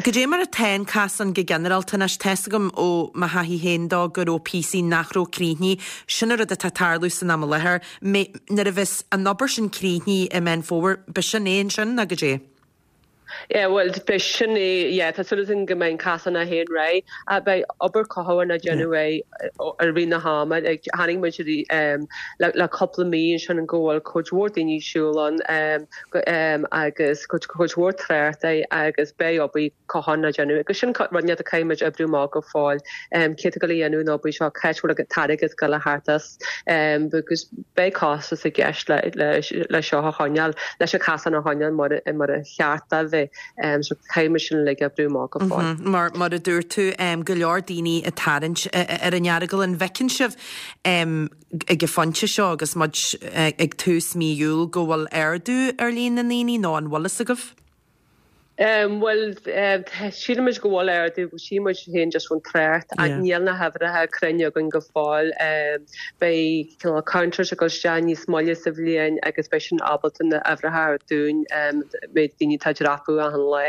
Goidé mar atá an casán go ginearálta anois, tá's agam ó mo thaithí féin dó go raibh píosaí nach raibh críochnaithe. Sin an rud atá ag tarlú san am i láthair. Nuair a bheas an obair sin críochnaithe i Meán Fómhair, b'shin é ansin nó goidé? Yeah, bhuel, b'shin é, yeah, tá súil againn go mbeidh an casán é féin réidh. Beidh obair cothabháin á déanamh air i rith na hama. Chonaic muid le cúpla mí ansin go bhfuil cuid mhór daoine ag siúl ann agus cuid mhór trácht air agus beidh obair cothabháin á déanamh agus sin rud inteacht a caithfidh muid oibriú amach go fóill cé atá ag dul a dhéanamh an obair seo, cá bhfuil an t-airgead ag dul a theacht as agus beidh costas i gceist le seo a choinneáil, leis an chasán a choinneáil mar a cheart dó bheith so caithfidh muid sin uilig a oibriú amach go fóill. Mar mar a dúirt tú, go leor daoine ag tarraingt ar an Earagail, an bhfeiceann sibh ag an phointe seo agus muid ag tús mí Iúil go bhfuil ardú ar líon na ndaoine nó an bhfuil fhios agaibh? Bhuel, sílimid go bhfuil ardú, tchí muid féin just ón trácht ach níl na huimhreacha cruinne againn go fóill. Beidh cineál counters ag dul isteach níos moille sa bhliain agus beidh sin ábalta na huimhreacha a thabhairt dúinn, méid daoine atá ag dreapadh achan lá.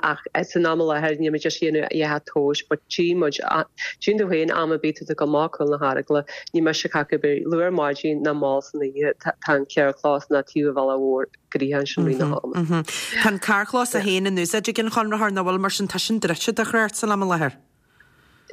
Ach san am i láthair níl muid just ag déanamh a dhath tomhais but tchí muid, tchíonn tú féin am ar bith tú ag dul amach Cúl na hEaragla, ní miste cad é luath ar maidin ná mall san oíche, tá an carrchlós ná taobh an bhealaigh mhóir. gnoitheach ansin i rith na hama. Tá an carrchlós é féin in úsáid ag an chonraitheoir, nach bhfuil? Mar sin tá sin druidte do thrácht san am i láthair.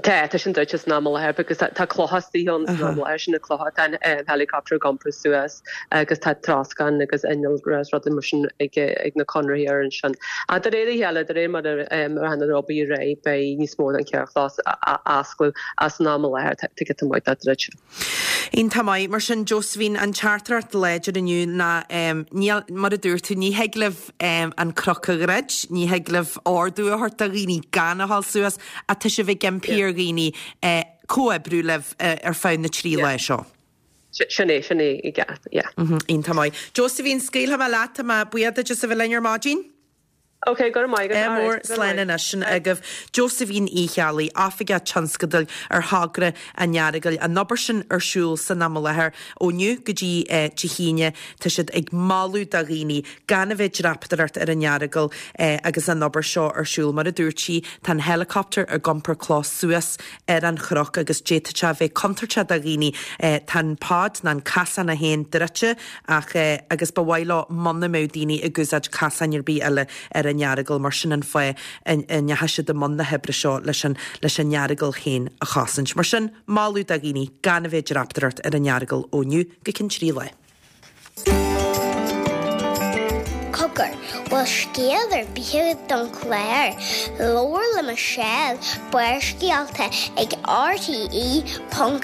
Tá, tá sin druidte san am i láthair because tá clocha istigh ann san am i láthair, sin na clocha atá an helicopter ag iompar suas agus tá troscán agus innealra is rudaí mar sin ag na conraitheoirí ansin. Ach de réir a chéile, de réir mar a rachaidh an obair ar aghaidh, beidh níos mó den charrchlós á oscailt ach san am i láthair tá giota maith de druidte. Iontach maith. Mar sin, Josephine, an teachtaireacht láidir inniu ná, níl, mar a dúirt tú, ní thig libh an cnoc a dhruid, ní thig libh ordú a thabhairt do dhaoine gan a dhul suas, ach tá sibh ag impí ar dhaoine comhoibriú libh ar feadh na dtrí lá seo. Sin é, sin é i gceart, yeah. Iontach maith. Josephine, scaoilfidh mé leat, tá mé buíoch duit as a bheith linn ar maidin. Ok, go raibh maith agat. Ádh mór, slán anois. Sin agaibh Josephine Uí Cheallaigh, Oifigeach Tionscadail ar thogra an Earagail. An obair sin ar siúl san am i láthair ó inniu go dtí Dé hAoine. Tá siad ag moladh do dhaoine gan a bheith ag dreapadóireacht ar an Earagail agus an obair seo ar siúl. Mar a dúirt sí, tá an helicopter ag iompar cloch suas ar an chnoc agus d'fhéadfadh sé a bheith contúirteach do dhaoine. Tá an pod ná an casán é féin druidte Ach, agus ba mhaith leo muna mbeadh daoine ag úsáid casáin ar bith eile ar an Earagail, mar sin an fáth a ndeachaigh siad i mbun na hoibre seo leis an, leis an Earagail féin a chosaint. Mar sin, moladh do dhaoine gan a bheith ag dreapadóireacht ar an Earagail ó inniu go ceann 3 lá. Cogar, bhfuil scéal ar bith agat don chlár? Labhair le Michelle, Barrscéalta ag RTE.ie. 5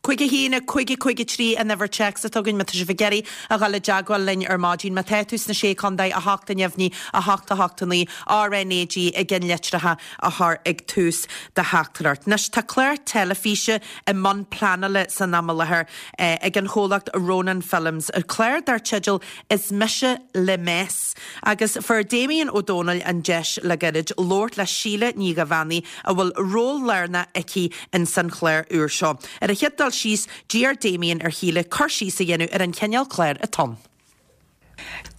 1 5 5 3 an uimhir téacs atá againn má tá sibh ag iarraidh a dhul i dteagmháil linn ar maidin. Má tá tú sna Sé Chontae, 8 a neamhní, 8 8 9, RnaG i gceannlitreacha a chur ag tús do theachtaireacht. Anois tá clár teilifíse i mbun pleanála san am i láthair ag an chomhlacht Rónán Films, clár dar teideal Is Mise Le Mess. Agus fuair Damien Ó Dónaill an deis le gairid labhairt le Síle Ní Dhuibheannaigh a bhfuil ról lárnach aici ins an chlár úr seo. Ar an chéad dul síos, d'iarr Damien ar Shíle cur síos a dhéanamh ar an chineál cláir atá ann.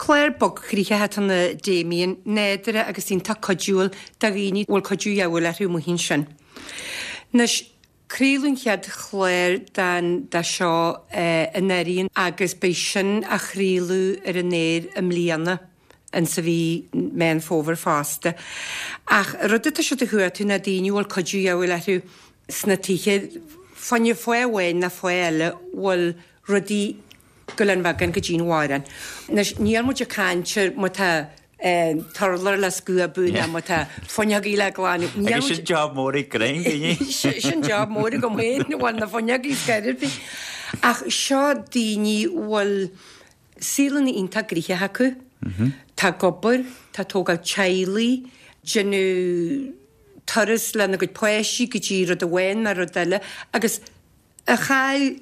Clár bogchroíoch atá ann a Damien, nádúrtha agus iontach cuidiúil do dhaoine a bhfuil cuidiú de dhíobháil orthu amuigh ansin. Anois, craoladh an chéad chlár den de seo anuraidh agus beidh sin á chraoladh ar an aer i mbliana. insa mhí Meán Fómhair fosta. Ach rud atá siad a chuartú ná daoine a bhfuil cuidiú de dhíobháil orthu sna tithe, fá choinne fáth amháin nó fáth eile bhfuil rudaí ag goil an bheagán go dtí an bharr. Anois níl muid ag caint ar má tá t-urlár le scuabadh nó má tá fuinneogaí le glanadh. Níl Agus sin job mór ag Grainne, daoine. Sin job mór agam féin, bhuel na fuinneogaí scor ar bith. Ach seo daoine bhfuil Saolanna iontach gnoitheach acu. Tá ag obair, tá ag tógáil teaghlaigh, déanamh turas lena gcuid páistí go dtí rud amháin nó rud eile agus a chaill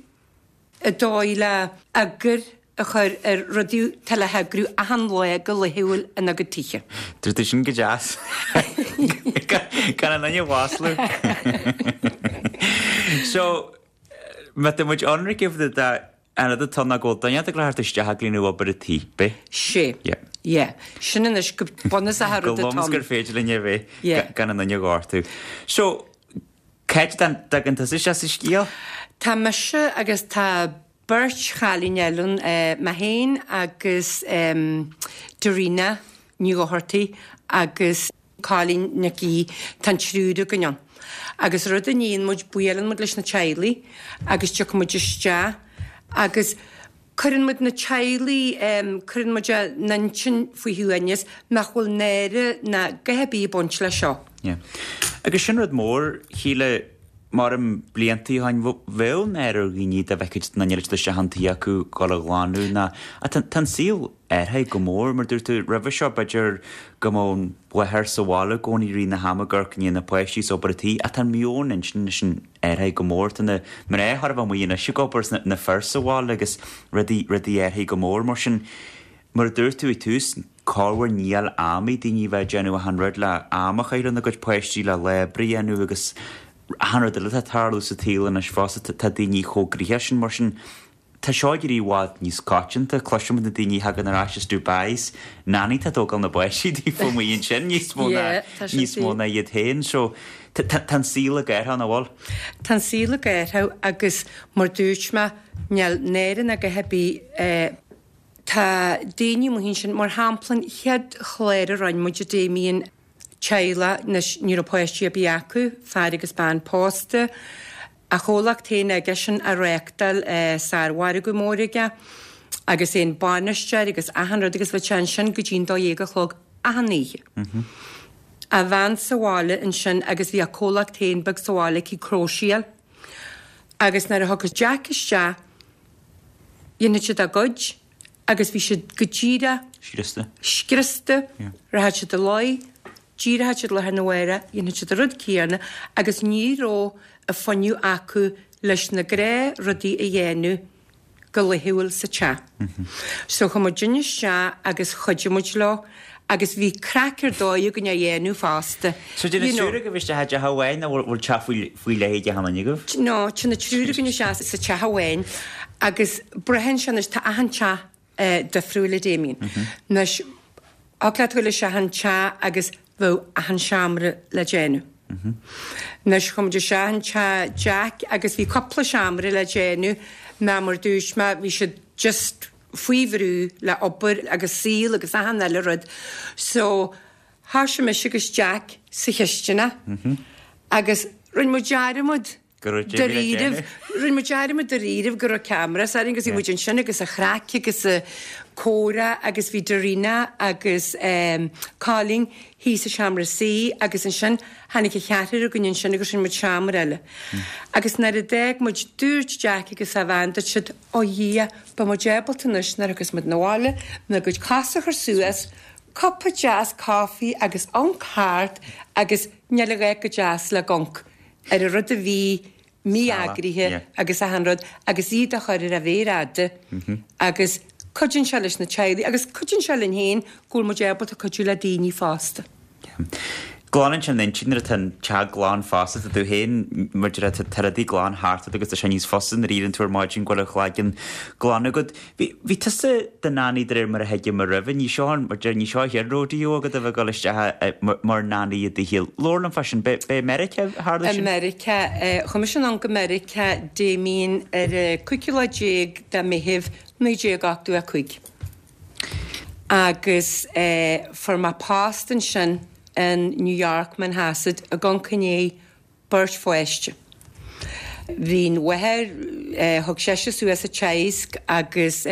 an dóigh le eagar a chur ar rudaí atá le heagrú achan lá go laethúil ina gcuid tithe. Dúirt tú sin go deas. Gan an duine a mhaslú. So, má tá muid ionraic de An rud atá ná go bhfuil duine ag dul a theacht isteach ag líonadh obair an tí, b'é? Sé. Yeah. Yeah. Sin anois go bunúsach an rud atá ann. Go lom is gur féidir linn é bheith Yeah. gan an duine a ghortú. So, cá dtagann tusa isteach sa scéal? Tá mise agus tá beirt chailín eile ann, mé féin agus Darina Ní Dhochartaigh agus Cailín Nic Aoidh, tá an triúr againn ann. Agus rud a níonn muid, buaileann muid leis na teaghlaigh agus tiocfaidh muid isteach agus cuireann muid na teaghlaigh, cuireann muid a n-intinn faoi shuaimhneas nach bhfuil náire ná a dhath ar bith ag baint leis seo. Yeah. Agus sin rud mór, Shíle, mar im bliantaí ó shin, bheadh náire ar dhaoine dá bhfeicfeadh duine eile isteach an tí acu dhul a ghlanadh ná, tá an saol athraithe go mór. Mar dúirt tú roimhe seo, b'fhéidir go mbeadh an mháthair sa bhaile i gcónaí i rith na hama ag amharc i ndiaidh na páistí is obair an tí, ach tá an meon intinne sin athraithe go mór. Tá na mná chóir a bheith amuigh anois ag obair is na fir sa bhaile agus rudaí, rudaí athraithe go mór. Mar sin, mar a dúirt tú ag tús, Corruair níl am ag daoine bheith ag déanamh achan rud le am a chaitheamh lena gcuid páistí le lá oibre a dhéanamh agus achan rud eile atá ag tarlú sa tsaol anois fosta tá daoine chomh gnoitheach sin mar sin tá seo ag éirí i bhfad níos coitianta. Cloisim na daoine a thagann ar ais as Dubai is nanny atá ag tógáil na bpáistí daofa amuigh ansin níos mó ná níos mó ná iad féin. So tá an saol ag athrú nach bhfuil? Tá an saol ag athrú agus mar dúirt mé níl náire ná a dhath ar bith Tá daoine amuigh ansin, mar shampla an chéad chlár a rinne muid a Damien, teaghlach, anois ní raibh páistí ar bith acu, fear agus bean pósta, a chomhlacht féin aigesean á reáchtáil, sármhargadh mór aige agus é an bainisteoir agus achan rud agus bheadh sé ansin go dtí'n 12 a chlog achan oíche. A bhean sa bhaile ansin agus bhí a comhlacht féin beag sa bhaile aici, cróiséáil. Agus nuair a thiocfadh Jack isteach, dhéanfadh siad a gcuid agus bhí siad go díreach Scriosta. scriosta, rachadh siad a luí, d'éireodh siad lá arna mhárach, dhéanfadh siad an rud céanna agus ní raibh an fuinneamh acu leis na gnáthrudaí a dhéanamh go laethúil sa teach. So chuaigh muidinne isteach agus chuidigh muid leo agus bhí craic ar dóigh againn á dhéanamh fosta. So téann an triúr agaibh isteach i dteach amháin nó bhfuil teach faoi leith ag achan duine agaibh? No, téann an triúr againn isteach sa teach amháin agus braitheann sé anois, tá achan teach difriúil a Damien. Anois, thig leat dul isteach in teach agus bheadh achan seomra le déanamh. Anois, chuaigh muid isteach in teach Jack agus bhí cúpla seomra le déanamh, ná mar dúirt mé, bhí siad just faoi bhrú le obair agus saol agus achan eile rud. So, thoisigh mise agus Jack sa chisteanach agus rinne muid dearmad Dáiríribh, rinne muid dearmad dáiríribh go raibh cameras orainn agus bhí muid ansin agus a' chraic agus a' comhrá agus bhí Darina agus Colin thíos sa seomra suí agus ansin tháinig an cheathrar againn ansin agus rinne muid seomra eile. Agus nuair a d'fhág muid dúirt Jack agus a bhean, dúirt siad, Ó Dhia, beidh muid ábalta anois nuair a thiocfas muid 'na bhaile, ár gcuid cosa a chur suas, cupa deas coffee agus amharc thart agus níl a dhath chomh deas le amharc ar an rud a bhí mí-eagraithe agus achan rud agus iad a chur ar a mhéar fhada agus cuidíonn sé leis na teaghlaigh agus cuidíonn sé linn féin go bhfuil muid ábalta cuidiú le daoine fosta. Glanann sé an intinn nuair atá an teach glan fosta, tá tú féin, mar a déarfá, tá rudaí glan thart ort agus tá sé níos fusa nuair a éiríonn tú ar maidin go bhfuil an cloigeann glan agat. Bhí, bhí tusa do nanny de réir mar a thuigim roimhe, ní seo an, mar deir, ní seo an chéad rodeo agat a bheith ag dul isteach mar nanny i dtithe. Labhair liom fá sin, b'é, b'é i Meiriceá a tharla sin? I Meiriceá, chuaigh mise anonn go Meiriceá, Damien, ar an cúigiú lá déag de Mheitheamh 1985. Agus fuair mé post ansin in New York, Manhasset, ag amharc i ndiaidh beirt pháiste. Bhí an mháthair, thug sise suas an teaghasc agus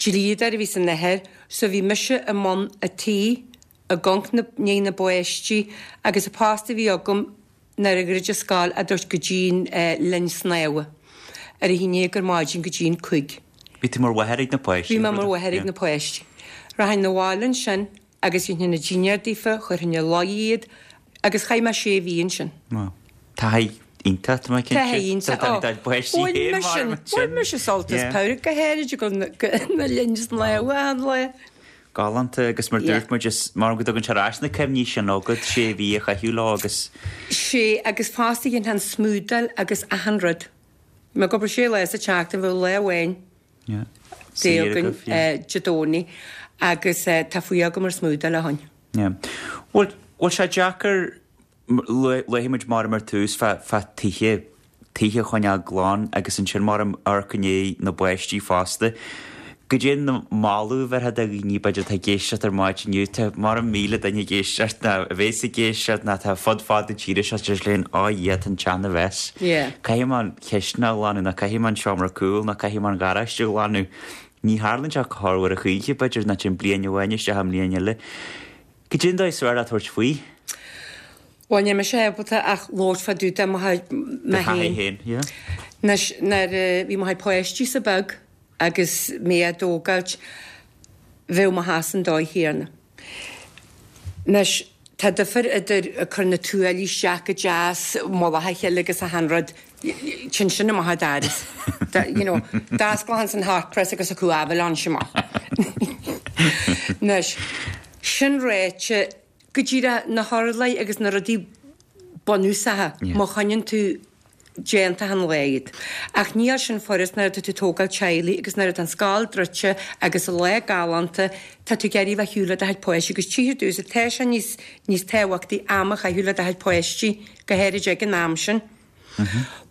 dlíodóir a bhí san athair, so bhí mise i mbun a' tí, ag amharc i ndiaidh na bpáistí agus an post a bhí agam nuair a dhruid an scoil a dúirt go dtí'n linn snámha ar a haon déag ar maidin go dtí'n cúig. Bhí tú mar mháthair ag na páistí? Bhí mé mar mháthair ag na páistí. Rachainn 'na bhaile ansin agus dhéanfainn an dinnéar daofa, chuirfinn a luí iad agus chaith mé sé mhí ansin. Wow. Taithí iontach, tá mé cinnte. Taithí iontach. Tá tá páistí Bhain féin mise, mar bhain mise sult as Yeah. Pádraig go háirid ag dul na linn snámha achan lá. Galánta agus mar Yeah. dúirt muid is mar go dtugann sé ar ais na cuimhní sin agat sé mhí a chaitheamh leo agus. Sé agus fosta dhéanfainn an smúdáil agus achan rud. Bhí mé ag obair sé lá sa tseachtain, bheadh lá amháin Yeah. Saor Saor againn agaibh, yeah. Dé Domhnaigh agus tá fuath agam ar smúdáil ó shoin. Yeah. Bhfuil, bhfuil sé deacair Luaigh muid mar ar tús fá tithe, tithe a choinneáil glan agus ansin mar amharc i ndiaidh na bpáistí fosta. Goidé an moladh a bhéarfá do dhaoine b'fhéidir atá ag éisteacht ar maidin inniu, tá mar 1,000 duine ag éisteacht nó a bhéas ag éisteacht nó atá fud fad na tíre seo deir siad linn, Ó Dhia, tá an teach ina mess. Caithfidh mé an chisteanach a ghlanadh nó caithfidh mé an seomra cúil nó caithfidh mé an gharáiste a ghlanadh. Ní tharlaíonn sé corruair a choíche b'fhéidir nó téann bliain amháin isteach i mbliain eile. Goidé an dóigh is fearr le tabhairt faoi? Bhuel, níl mise ábalta ach labhairt fá dtaobh de mo Do thaithí féin. féin, yeah. Anois, nuair a bhí mo chuid páistí-sa beag agus mé á dtógáilt, bheadh mo theach san dóigh chéanna. Anois, tá difear idir ag cur na tuáillí isteach go deas, mullach a chéile agus achan rud, Téann sin amach an doras. You know, d'osclóinn an hot press agus a cú aibhleán amach. Anois, sin ráite, go díreach na hurláir agus na rudaí bunúsacha, má choinníonn tú déanta achan lá iad. Ach níl sin furast nuair atá tú ag tógáil teaghlaigh agus nuair atá an scoil druidte agus an lá galánta, tá tú ag iarraidh bheith ar shiúl le do chuid páistí agus tchíthear domhsa, tá sé níos, níos tábhachtaí am a chaitheamh le do chuid páistí, go háirid ag an am sin.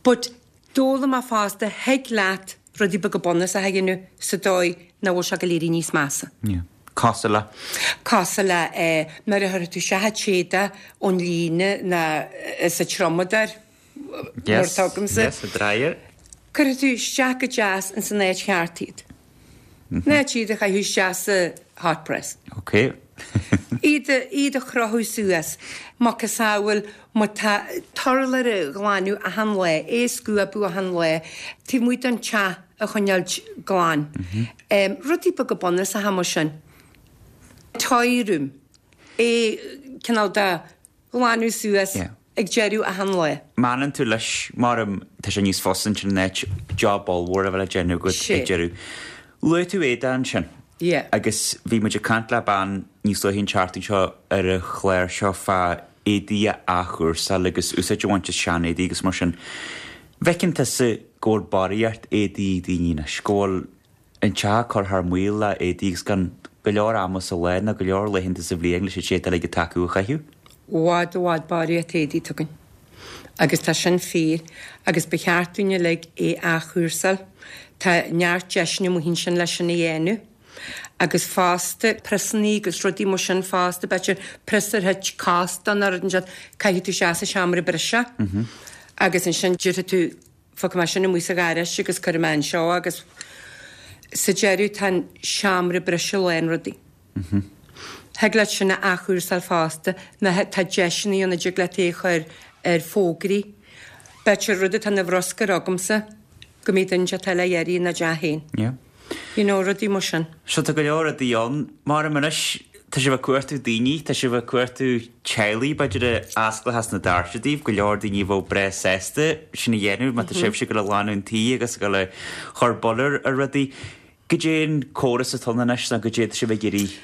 But d'fhoghlaim mé fosta, thig leat rudaí beaga bunúsacha a dhéanamh sa dóigh nach bhfuil sé ag goil éirí níos measa. Yeah. Cosúil le? Cosúil le eh, nuair a chuirfidh tú isteach an t-éadach ón líne ná sa triomadóir, mar atá agamsa. Yes, yes, a dryer. Cuirfidh tú isteach go deas ins an áit cheart iad. Ná iad a chaitheamh isteach sa hot press. Ok. Iad a, iad a chrochadh suas. Macasamhail má tá t-urlár a ghlanadh achan lá, é a scuabadh achan lá, taobh amuigh den teach a choinneáilt glan. Rudaí beaga bunúsacha mar sin. Toy room. É cineál de ghlanadh suas ag deireadh achan lae. Má fhanann tú leis, mar tá sé níos fusa ansin in áit job ollmhór a bheith le déanamh agat ag deireadh. Luaigh tú éadach ansin. Agus bhí muid ag caint le bean níos luaithe an tseachtain seo ar an chlár seo fá éadaí a athchúrsáil agus úsáid a bhaint as sean-éadaí agus mar sin. Bhfeiceann tusa go bhfuil barraíocht éadaí ag daoine anois, go bhfuil an teach ag cur thar maoil le éadaí agus gan go leor ama sa lá ná go leor laethanta sa bhliain leis an éadaí uilig atá acu a chaitheamh. I bhfad i bhfad barraíocht éadaí atá againn agus tá sin fíor agus ba cheart dúinn uilig é a athchúrsáil. Tá neart deiseanna amuigh ansin leis sin a dhéanamh agus fosta priosannaí agus rudaí mar sin fosta, b'fhéidir prios ar thit cos de nó rud inteacht, caithfidh tú isteach sa seomra briseadh agus ansin déarfaidh tú Fágfaidh mé sin amuigh sa gharáiste agus cuirfidh mé anseo agus sa deireadh tá an seomra briseadh lán rudaí. Thig leat sin a athchúrsáil fosta nó tá deiseanna ann a dtig leat é a chur ar fógraí. B'fhéidir rud atá ina bhruscar agamsa go mbeidh duine inteacht eile á iarraidh ina dteach féin. You know, rudaí mar sin. So tá go leor rudaí ann. Mar anois, tá sibh ag cuartú daoine, tá sibh ag cuartú teaghlaigh, b'fhéidir a osclóchas na doirse daoibh, go leor daoine a bheadh breá sásta sin a dhéanamh má tá sibhse ag dul a ghlanadh an tí agus ag dul a chur boladh ar rudaí. Goidé an córas atá ann anois nó goidé atá sibh ag iarraidh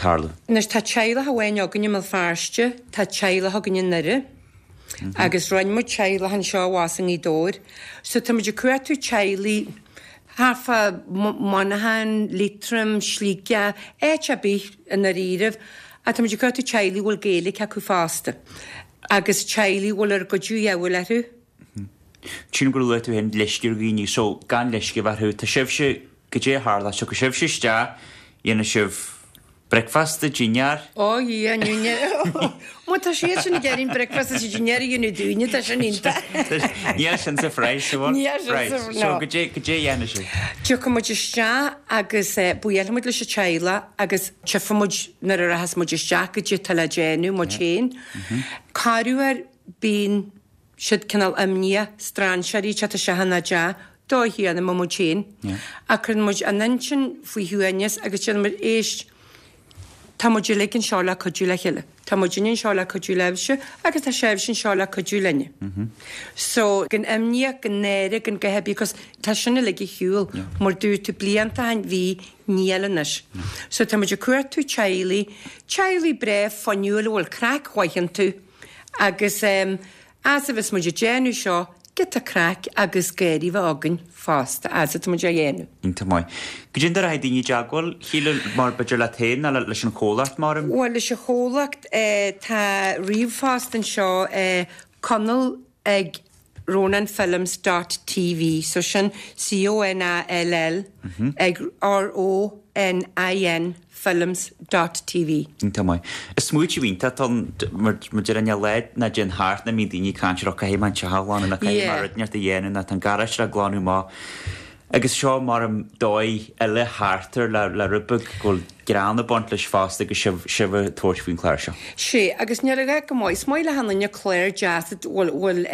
tarlú? Anois tá teaghlach amháin againn i mBéal Feirste, tá teaghlach againn i nDoire agus rinne muid teaghlach anseo abhus i nGaoth Dobhair. So tá muid ag cuartú teaghlaigh thart fá Muineachán, Liatroim, Sligeach, áit ar bith i ndáiríribh, ach tá muid ag cuartú teaghlaigh a bhfuil Gaeilge acu fosta agus teaghlaigh a bhfuil ár gcuidiú de dhíobháil orthu. Sílim gur luaigh tú féin leisce ar dhaoine, so gan leisce a bheith orthu. Tá sibhse, goidé a tharla, tiocfaidh sibhse isteach, dhéanfaidh sibh Bricfeasta, dinnéar. Ó Dhia, ní. Má tá siad sin ag iarraidh bricfeasta is dinnéar a dhéanamh dúinne, tá sin iontach. Níl sin sa phraghas, an bhfuil? Níl sin sa, Right, so no. goidé, goidé a dhéanfaidh sibh? Tiocfaidh muid isteach agus buailfidh muid leis an teaghlach agus tchífidh muid nuair a rachas muid isteach goidé atá le déanamh, muid féin. Corruair bíonn siad cineál imníoch, strainséirí ag teacht isteach ina dteach, dóigh chéanna mar muid féin. Ach cuireann muid an intinn faoi shuaimhneas agus déanann muid, éist, tá muid uilig anseo le cuidiú le chéile. Tá muidinne anseo le cuidiú libhse agus tá sibhse anseo le cuidiú linne. So, gan imníoch, gan náire, gan guth ar bith, 'cause tá sin uilig ar shiúl. Mar dúirt tú blianta ó shin, bhí, níl anois. So tá muid ag cuartú teaghlaigh, teaghlaigh breá fuinniúil a bhfuil craic mhaith iontu agus eh, As a bheas muid ag déanamh seo, giota craic agus gáirí bheith againn fosta as atá muid á dhéanamh. Iontach maith. Goidé an dóigh a rachaidh daoine i dteagmháil, Shíle, mar b'fhéidir leat féin nó leis an chomhlacht, mar. Bhuel, leis an chomhlacht, tá ríomhphost anseo, Conall ag roninfilms dot tv, so sin C-O-N-A-L-L ag R-O-N-I-N films dot tv. Iontach maith. Is smaoitiú iontach atá ann, mar mar déarfainn níl lá ná dtéann thart nach mbíonn daoine ag caint ar 'ó caithfidh mé an teach a ghlanadh nó caithfidh mé rud inteacht a dhéanamh nó tá an garáiste le glanadh amach. Agus seo mar dóigh eile thart air le le rud beag go bhfuil greann ag baint leis fosta agus sibh sibh ag tabhairt faoin chlár seo. Sea, agus níl a dhath go maith. Is maith le achan duine clár deas a bhfuil bhfuil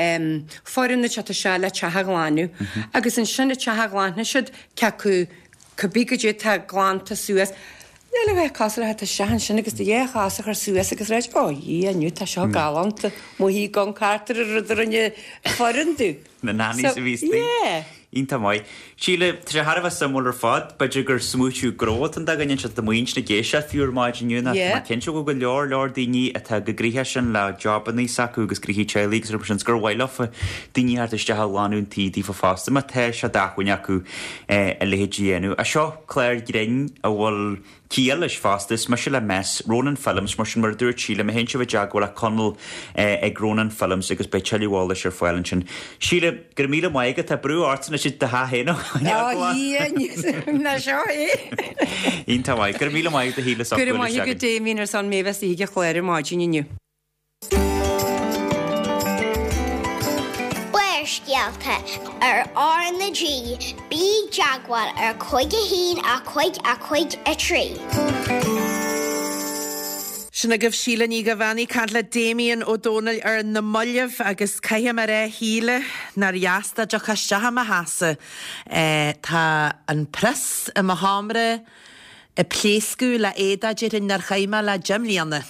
foireann ag teacht isteach le teach a ghlanadh. Agus ansin an teach a ghlanfaidh siad, cé acu Cibé goidé atá glanta suas, níl a dhath cosúil le theacht isteach ansin agus do dhá chos a chur suas agus ráit, Ó, Dhia, inniu tá seo galánta, mo thí gan cartar ar rud a rinne foireann domh. Na nannies So, a bhí istigh. yeah. Iontach maith. Síle, tá sé thar a bheith suimiúil ar fad. B'fhéidir gur smaoitiú gnó atá ann do dhuine anseo atá amuigh ansin ag éisteacht fiú ar maidin inniu nó tá mé cinnte go bhfuil go leor leor daoine atá chomh gnoitheach sin le jobannaí s'acu agus gnoithí teaghlaigh agus rudaí mar sin 's gur mhaith leofa daoine a theacht isteach a ghlanadh an tí daofa fosta má tá sé d'acmhainn acu a leithéid a dhéanamh. Ach seo clár grinn a bhfuil ciall leis fosta. Is mise le meas. Ronan Films, mar sin, mar a dúirt Síle, má théann sibh i dteagmháil le Conall ag Ronan Films agus beidh tuilleadh eolais ar fáil ansin. Síle, go raibh míle maith agat. Tá brú ort anois i do theach féin a Ó, Dhia, ná seo é. Iontach maith. Go raibh míle maith agat a Shíle as ucht Go raibh maith agat, Damien, ar son mé bheith istigh ag an chlár ar maidin inniu. Barrscéalta ar R na G, bí i dteagmháil ar 5 1 5 5 3. Sin agaibh Síle Ní Dhuibheannaigh ag caint le Damien Ó Dónaill ar na mallaibh agus caithfidh mé a rá a Shíle nár dheas dá dtiocfá isteach i mo sheasamh. Tá an prios i mo sheomra ag pléascadh le éadach déarfainn nár chaith mé le deich mbliana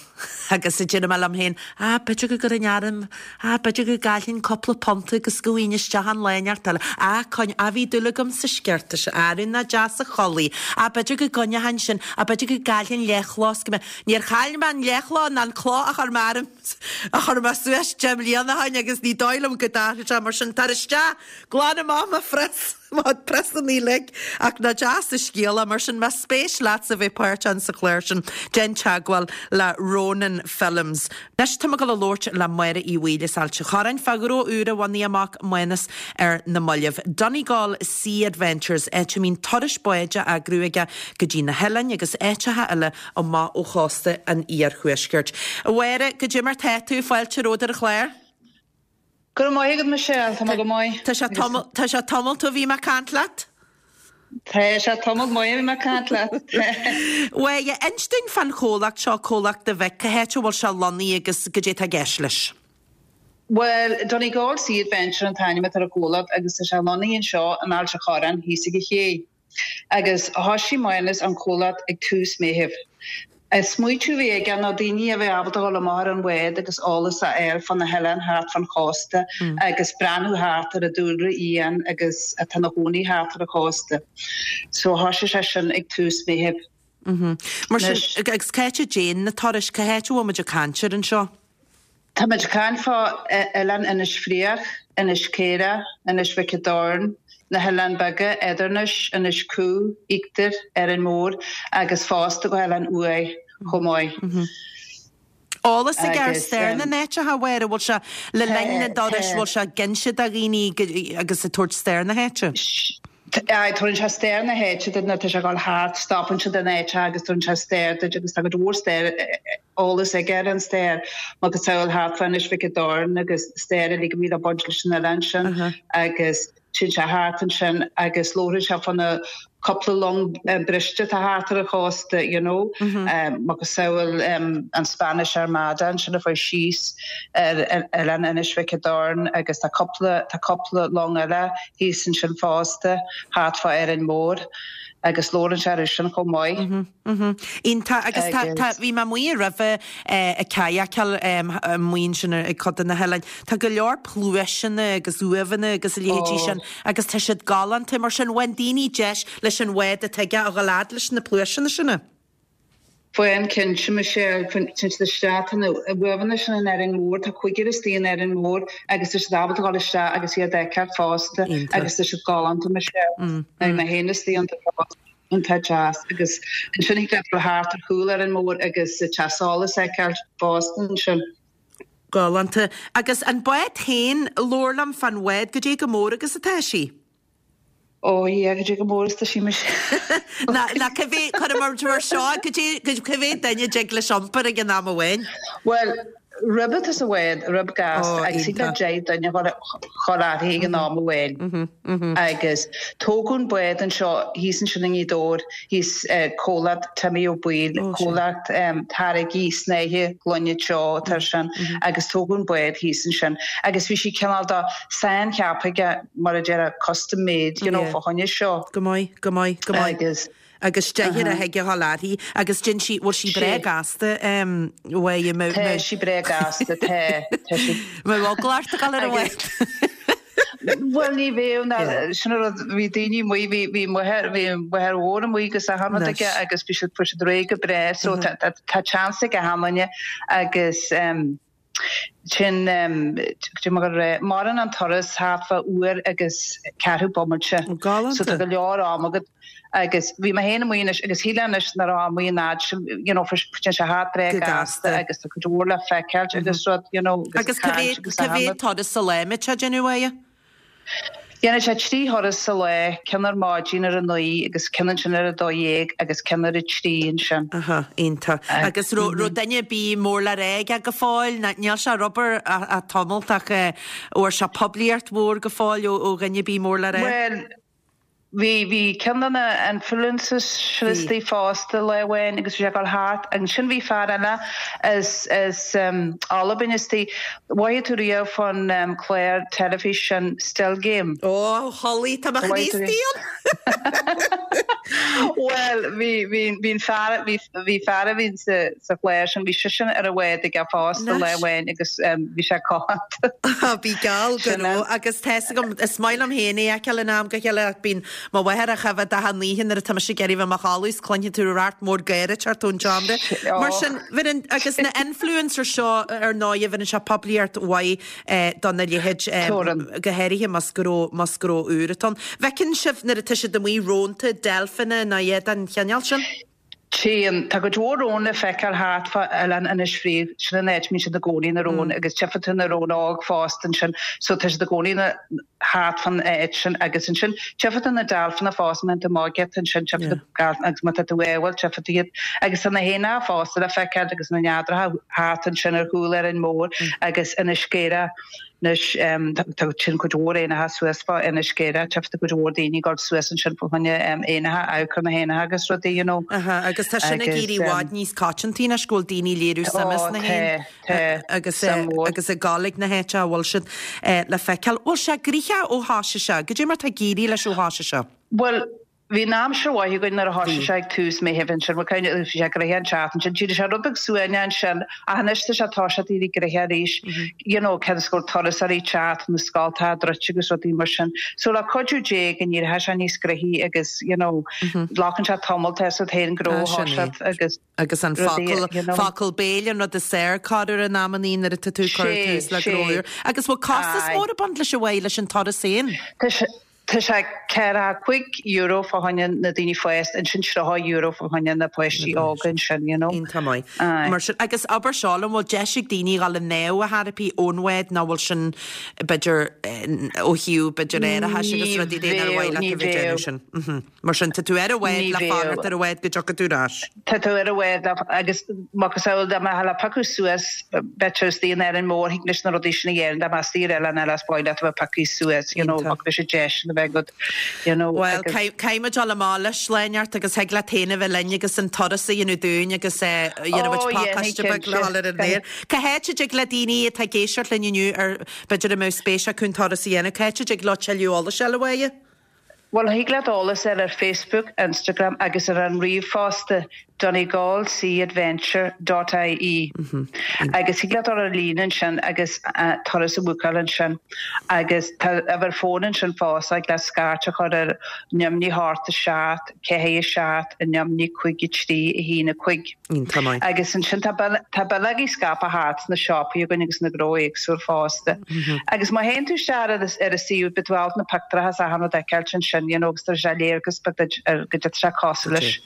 agus a deir mé liom féin, ah b'fhéidir go gcuirfinn orm, ah b'fhéidir go gcaillfinn cúpla punt agus go bhfaighinn isteach an lá inteacht eile, ah coinn, ah bhí dúil agam sa sciorta sin, ah nach deas a chulaith, ah b'fhéidir go gcoinneochainn sin, ah b'fhéidir go gcaillfinn leathchló is go mbeadh, níor chaill mé an leathchló ná an cló a chuir mé orm, a chuir mé suas deich mbliana ó shin agus ní dóigh liom go dtarlóidh sé mar sin, tar isteach, glan amach mo phrios. Mo phriosanna uilig. Ach nach deas an scéal é. Mar sin, más spéis leatsa bheith páirteach sa chlár sin, déan teagmháil le Ronan Films. Anois tá mé ag dul a labhairt le Máire Uí Bhaoill as Ailt an Chorráin fá ghnó úr a bhunaigh a mac Mánas ar na mallaibh. Donegal Sea Adventures, áit a mbíonn turais báid á eagrú aige go dtí na hoileáin agus áiteacha eile amach ó chósta an iarthuaiscirt. A Mháire, goidé mar tá tú? Fáilte romhat ar an chlár. Go raibh maith agat Michelle, tá mé go maith. Tá sé tamall, tá sé tamalt ó bhí mé ag caint leat. Tá sé tamall maith ó bhí mé ag caint leat. Bhuel, inis dúinn fán chomhlacht seo, comhlacht do mhic, cá háit a bhfuil sé lonnaithe agus goidé atá i gceist leis. Bhuel, Donegal Sea Adventure an t-ainm atá ar an chomhlacht agus tá sé lonnaithe anseo in Ailt an Chorráin thíos ag an ché. Agus thoisigh Mánas an comhlacht ag tús Meithimh. An smaoitiú a bhí aige ná daoine a bheith ábalta dhul amach ar an bhád agus eolas a fháil fá na hoileáin thart fán chósta agus breathnú thart ar an dúlra fhiáin agus atá ina chónaí thart ar an chósta. So thoisigh sé sin ag tús Meithimh. Mar sin, agus cá háit a dtéann na turais, cá háit a bhfuil muid ag caint air anseo? Tá muid ag caint fá oileán Inis Fraoch, Inis Caorach, Inis Mhic an Doirn, na hOileáin Beaga, Eadarnais, Inis Cú, Íochtar, Árainn Mhór agus fosta go hOileán Uaighe chomh maith. Eolas aige ar stair na n-áiteacha, a Mháire, bhfuil sé le linn na dturas, bhfuil sé ag inse do dhaoine agus ag tabhairt stair na háite? Aye, tabharann sé stair na háite duit nuair atá sé ag dul thart, stopann siad in áiteacha agus tabharann sé stair duit agus tá cuid mhór stair, eolas aige ar an stair, macasamhail thart fá Inis Mhic an Doirn agus stair uilig a bhí le baint leis an oileán sin agus téann sé thart ansin agus labhrann sé fá na cúpla long briste atá thart ar an chósta, you know, macasamhail an Spanish Armada ansin a chuaigh síos ar oileán Inis Mhic an Doirn agus tá cúpla, tá cúpla long eile thíos ansin fosta, thart fá Árainn Mhór agus labhrann sé air sin chomh maith. Iontach. Agus tá, tá, bhí mé amuigh roimhe ag cadhacáil amuigh ansin ag cuid de na hoileáin. Tá go leor pluaiseanna agus uaimheanna agus a leithéidí sin agus tá siad galánta. Mar sin, bhain daoine deis leis an bhád atá aige a dhul fhad leis na pluaiseanna sin. Faigheann cinnte, Michelle, téann siad isteach, tá na uaimheanna sin in Árainn Mhór, tá cuigear istigh in Árainn Mhór agus tá siad ábalta dhul isteach agus iad a fheiceáil fosta agus tá siad galánta, Michelle. Bhí mé féin istigh iontu fosta, iontach deas agus ansin thig leat dul thart ar chúl Árainn Mhór agus teach solais a fheiceáil fosta ansin. Galánta. Agus an bád féin, labhair liom fán bhád, goidé chomh mór agus atá sí? Ó yeah, goidé chomh mór is tá sí Michelle. Ná, ná cé mhéad, cuirim mar mar seo, goidé, cé mhéad duine a dtig leis iompar ag an am amháin? Bhuel, rib atá sa bhád, rib gasta, agus thig le 10 duine a dhul uirthi ag an am amháin. Agus tógadh an bád anseo thíos ansin i nGaoth Dobhair, thíos comhlacht Timmy Ó Baoill, comhlacht táirgí snáithe gloine teo atá air sin, agus tógadh an bád thíos ansin. Agus bhí sí cineál de saincheaptha aige mar a déarfá custom made, you know, fá choinne seo. Go maith, go maith, go maith. Agus. Agus deichniúr a thig a dhul uirthi agus déan sí, bhfuil sí breá gasta, em, uaidh, Tá sí breá gasta, tá, tá sí. Mbeadh eagla ort a dhul ar an bhád. Bhuel ní bheadh ná sin an rud bhí daoine amuigh bhí bhí máthair bhí máthair mhór amuigh agus achan rud aige agus bhí siad fuair siad réidh go breá so tá tá tá chance ag achan duine agus ehm sin ehm cad é mar a maireann an turas thart fá uair agus ceathrú bomaite so tá go leor am agat Agus bhí mé féin amuigh anois agus shílfeá anois nach raibh amuigh an fhad sin, you know, téann sé thart breá gasta agus tá cuid mhór le feiceáilt agus rud, you know, agus caint agus Agus cá mhéad turas sa lá a mbíonn sé ag déanamh uaidh? Déanann sé 3 thuras sa lá, ceann ar maidin ar a 9 agus ceann ansin ar a 12 agus ceann ar a 3 ansin. Aha, iontach. Agus raibh duine ar bith mór le rá aige go fóill? Níl sé ar obair ach tamalt ach bhfuair sé poiblíocht mhór go fóill ó dhuine ar bith mór le rá? Bhuel, Bhí, bhí ceann de na influencers istigh fosta lá amháin agus bhí sé ag dul thart. Ansin bhí fear eile as, as Albain istigh. Mhothaigh tú riamh fán chlár teilifís sin Still Game? Ó, Holly, tá mo chroí istigh ann! Bhuel, bhí, bhí, bhí an fear, bhí, bhí fear a bhí sa, sa chlár sin, bhí seisean ar an bhád aige fosta lá amháin agus bhí sé codlata. Bhí geall go raibh agus tá fhios agam, is maith liom féin é a fheiceáil in am go chéile ach bíonn mo mháthair á choimhéad achan oíche nuair atá mise ag iarraidh bheith i mo chodladh is cluinfidh tú racht mór gáire ag teacht ón tseomra. Mar sin, bheireann, agus na influencers seo ar ndóigh, bheireann sé poiblíocht mhaith dona leithéid, go háirithe más gnó, más gnó úr atá ann. Bhfeiceann sibh nuair atá siad amuigh rónta, deilfeanna nó iad den chineál sin? Téann. Tá cuid mhór rón le feiceáil thart fá Oileán Inis Fraoich, sin an áit a mbíonn siad i gcónaí, na róin, agus tchífidh tú na róin óg fosta ansin, so tá siad i gcónaí thart fán áit sin agus ansin tchífidh tú na deilfeanna fosta, má théann tú amach giota ansin tchífidh tú deilfeanna agus má tá tú ádhúil tchífidh tú iad agus tá na héanacha fosta le feiceáil agus na neadracha thart ansin ar chúl Árainn Mhór agus Inis Sceireach. Anois, tá sin cuid mhór éanacha suas fá Inis Sceireach, tchífidh tú cuid mhór daoine ag dul suas ansin fá choinne éanacha, amharc ar na héanacha agus rudaí, you know. Aha, agus tá sin ag éirí i bhfad níos coitianta anois go bhfuil daoine ag léiriú suime sna héin agus agus ag dul ag na háiteacha a bhfuil siad le feiceáil. Bhfuil sé gnoitheach ó thoisigh sé? Goidé mar tá ag éirí leis ó thoisigh sé? Bhuel, Bhí an aimsir mhaith againn nuair a thoisigh sé ag tús Meithimh ansin, bhuel kind of, bhí sé gnoitheach an tseachtain sin, d'éirigh sé rud beag suaimhneach ansin ach anois tá sé ag toiseacht éirí gnoitheach arís, you know, cionn is go bhfuil turasóirí ag teacht, na scoltacha druidte agus rudaí mar sin. So le cuidiú Dé go n-éireoidh sé níos gnoithí agus, you know, glacann sé tamall tá a fhios agat féin gnó a thoiseacht agus Agus an focal, focal béil an rud is fearr corruair in amannaí nuair atá tú ag cur tús le gnó úr. Agus bhfuil costas mór ag baint leis a Mháire leis an turas féin? Tá sé. Tá sé €45 fá choinne na daoine fásta, ansin €30 fá choinne na páistí óga ansin, you know. Iontach maith. Mar sin, agus abair seo liom, bhfuil deis ag daoine dhul i ndámh a therapy ón bhád nó bhfuil sin, b'fhéidir, ó thaobh, b'fhéidir, árachais agus rudaí de nár mhaith leat a bheith ag déanamh sin. Mar sin, tá tú ar an bhád le fanacht ar an bhád go dtiocfaidh tú ar ais. Tá tú ar an bhád le, agus macasamhail dá mbeifeá le piocadh suas, b'fhéidir istigh in Árainn Mhór, thig leis na rudaí sin a dhéanamh, dá mbeifeá istigh ar oileán eile is maith leat a bheith pioctha suas, you know, ach bheadh sé deis a bheith agat, you know, Bhuel, caithfidh muid dul amach leis lá inteacht agus thig leat féin a bheith linn agus an turas a dhéanamh dúinn agus dhéanfaidh muid pacáiste beag le dhul ar an aer. Cá háit a dtig le daoine atá ag éisteacht linn inniu ar b'fhéidir a mbeadh spéis acu an turas a dhéanamh, cá háit a dtig leo tuilleadh eolais a fháil a Mháire? Bhuel, thig leat eolas a fháil ar Facebook, Instagram agus ar an ríomhphost donegalseaadventure dot ie agus thig leat dul ar líne ansin agus turas a bhúcáil ansin agus tá uimhir fóin ansin fosta, thig leat scairt a chur ar 0 8 7 4 7 0 5 3 1 5. Iontach maith. Agus ansin tá tá bileogaí scaipthe thart sna siopaí againn agus na gnó éagsúil fosta. Agus má théann tú isteach ar ar an suíomh beidh tú ábalta na pictiúracha is achan rud a fheiceáilt ansin, you know, agus tá sé léargas beag duit ar goidé atá sé cosúil leis.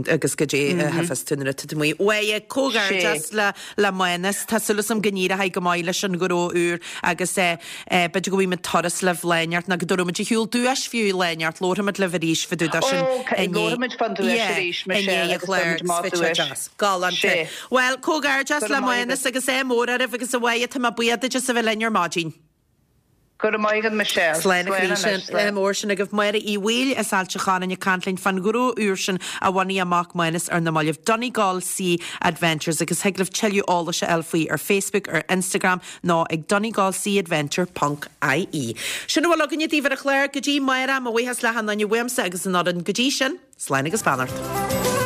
Agus goidé a tchífeas tú nuair atá tú amuigh. Mháire, comhghairdeas le le Mánas. Tá súil agam go n-éireoidh go maith leis an ghnó úr agus eh b'fhéidir go bhfaighidh muid turas libh lá inteacht nó go dtabharfaidh muid ar shiúl duais fiú lá inteacht. Labharfaidh muid libh arís fá dtaobh de sin i ndiaidh an chláir agus beidh sé deas. Galánta. Bhuel, comhghairdeas le Mánas agus ádh mór oraibh agus a Mháire tá mé buíoch duit as a bheith linn ar maidin. Go raibh maith agat Michelle. Slán a chroí sin. Ádh mór sin agaibh. Máire Uí Bhaoill as Ailt an Chorráin ag caint linn fán ghnó úr sin a bhunaigh a mac Mánas ar na mallaibh, Donegal Sea Adventures agus thig libh tuilleadh eolais a fháil faoi ar Facebook, ar Instagram nó ag donegalseaadventure ponc ie. Sin a bhfuil againne daoibh ar an chlár go dtí amárach. Mo bhuíochas le hachan duine uaimse agus an fhoireann go dtí sin, slán agus beannacht.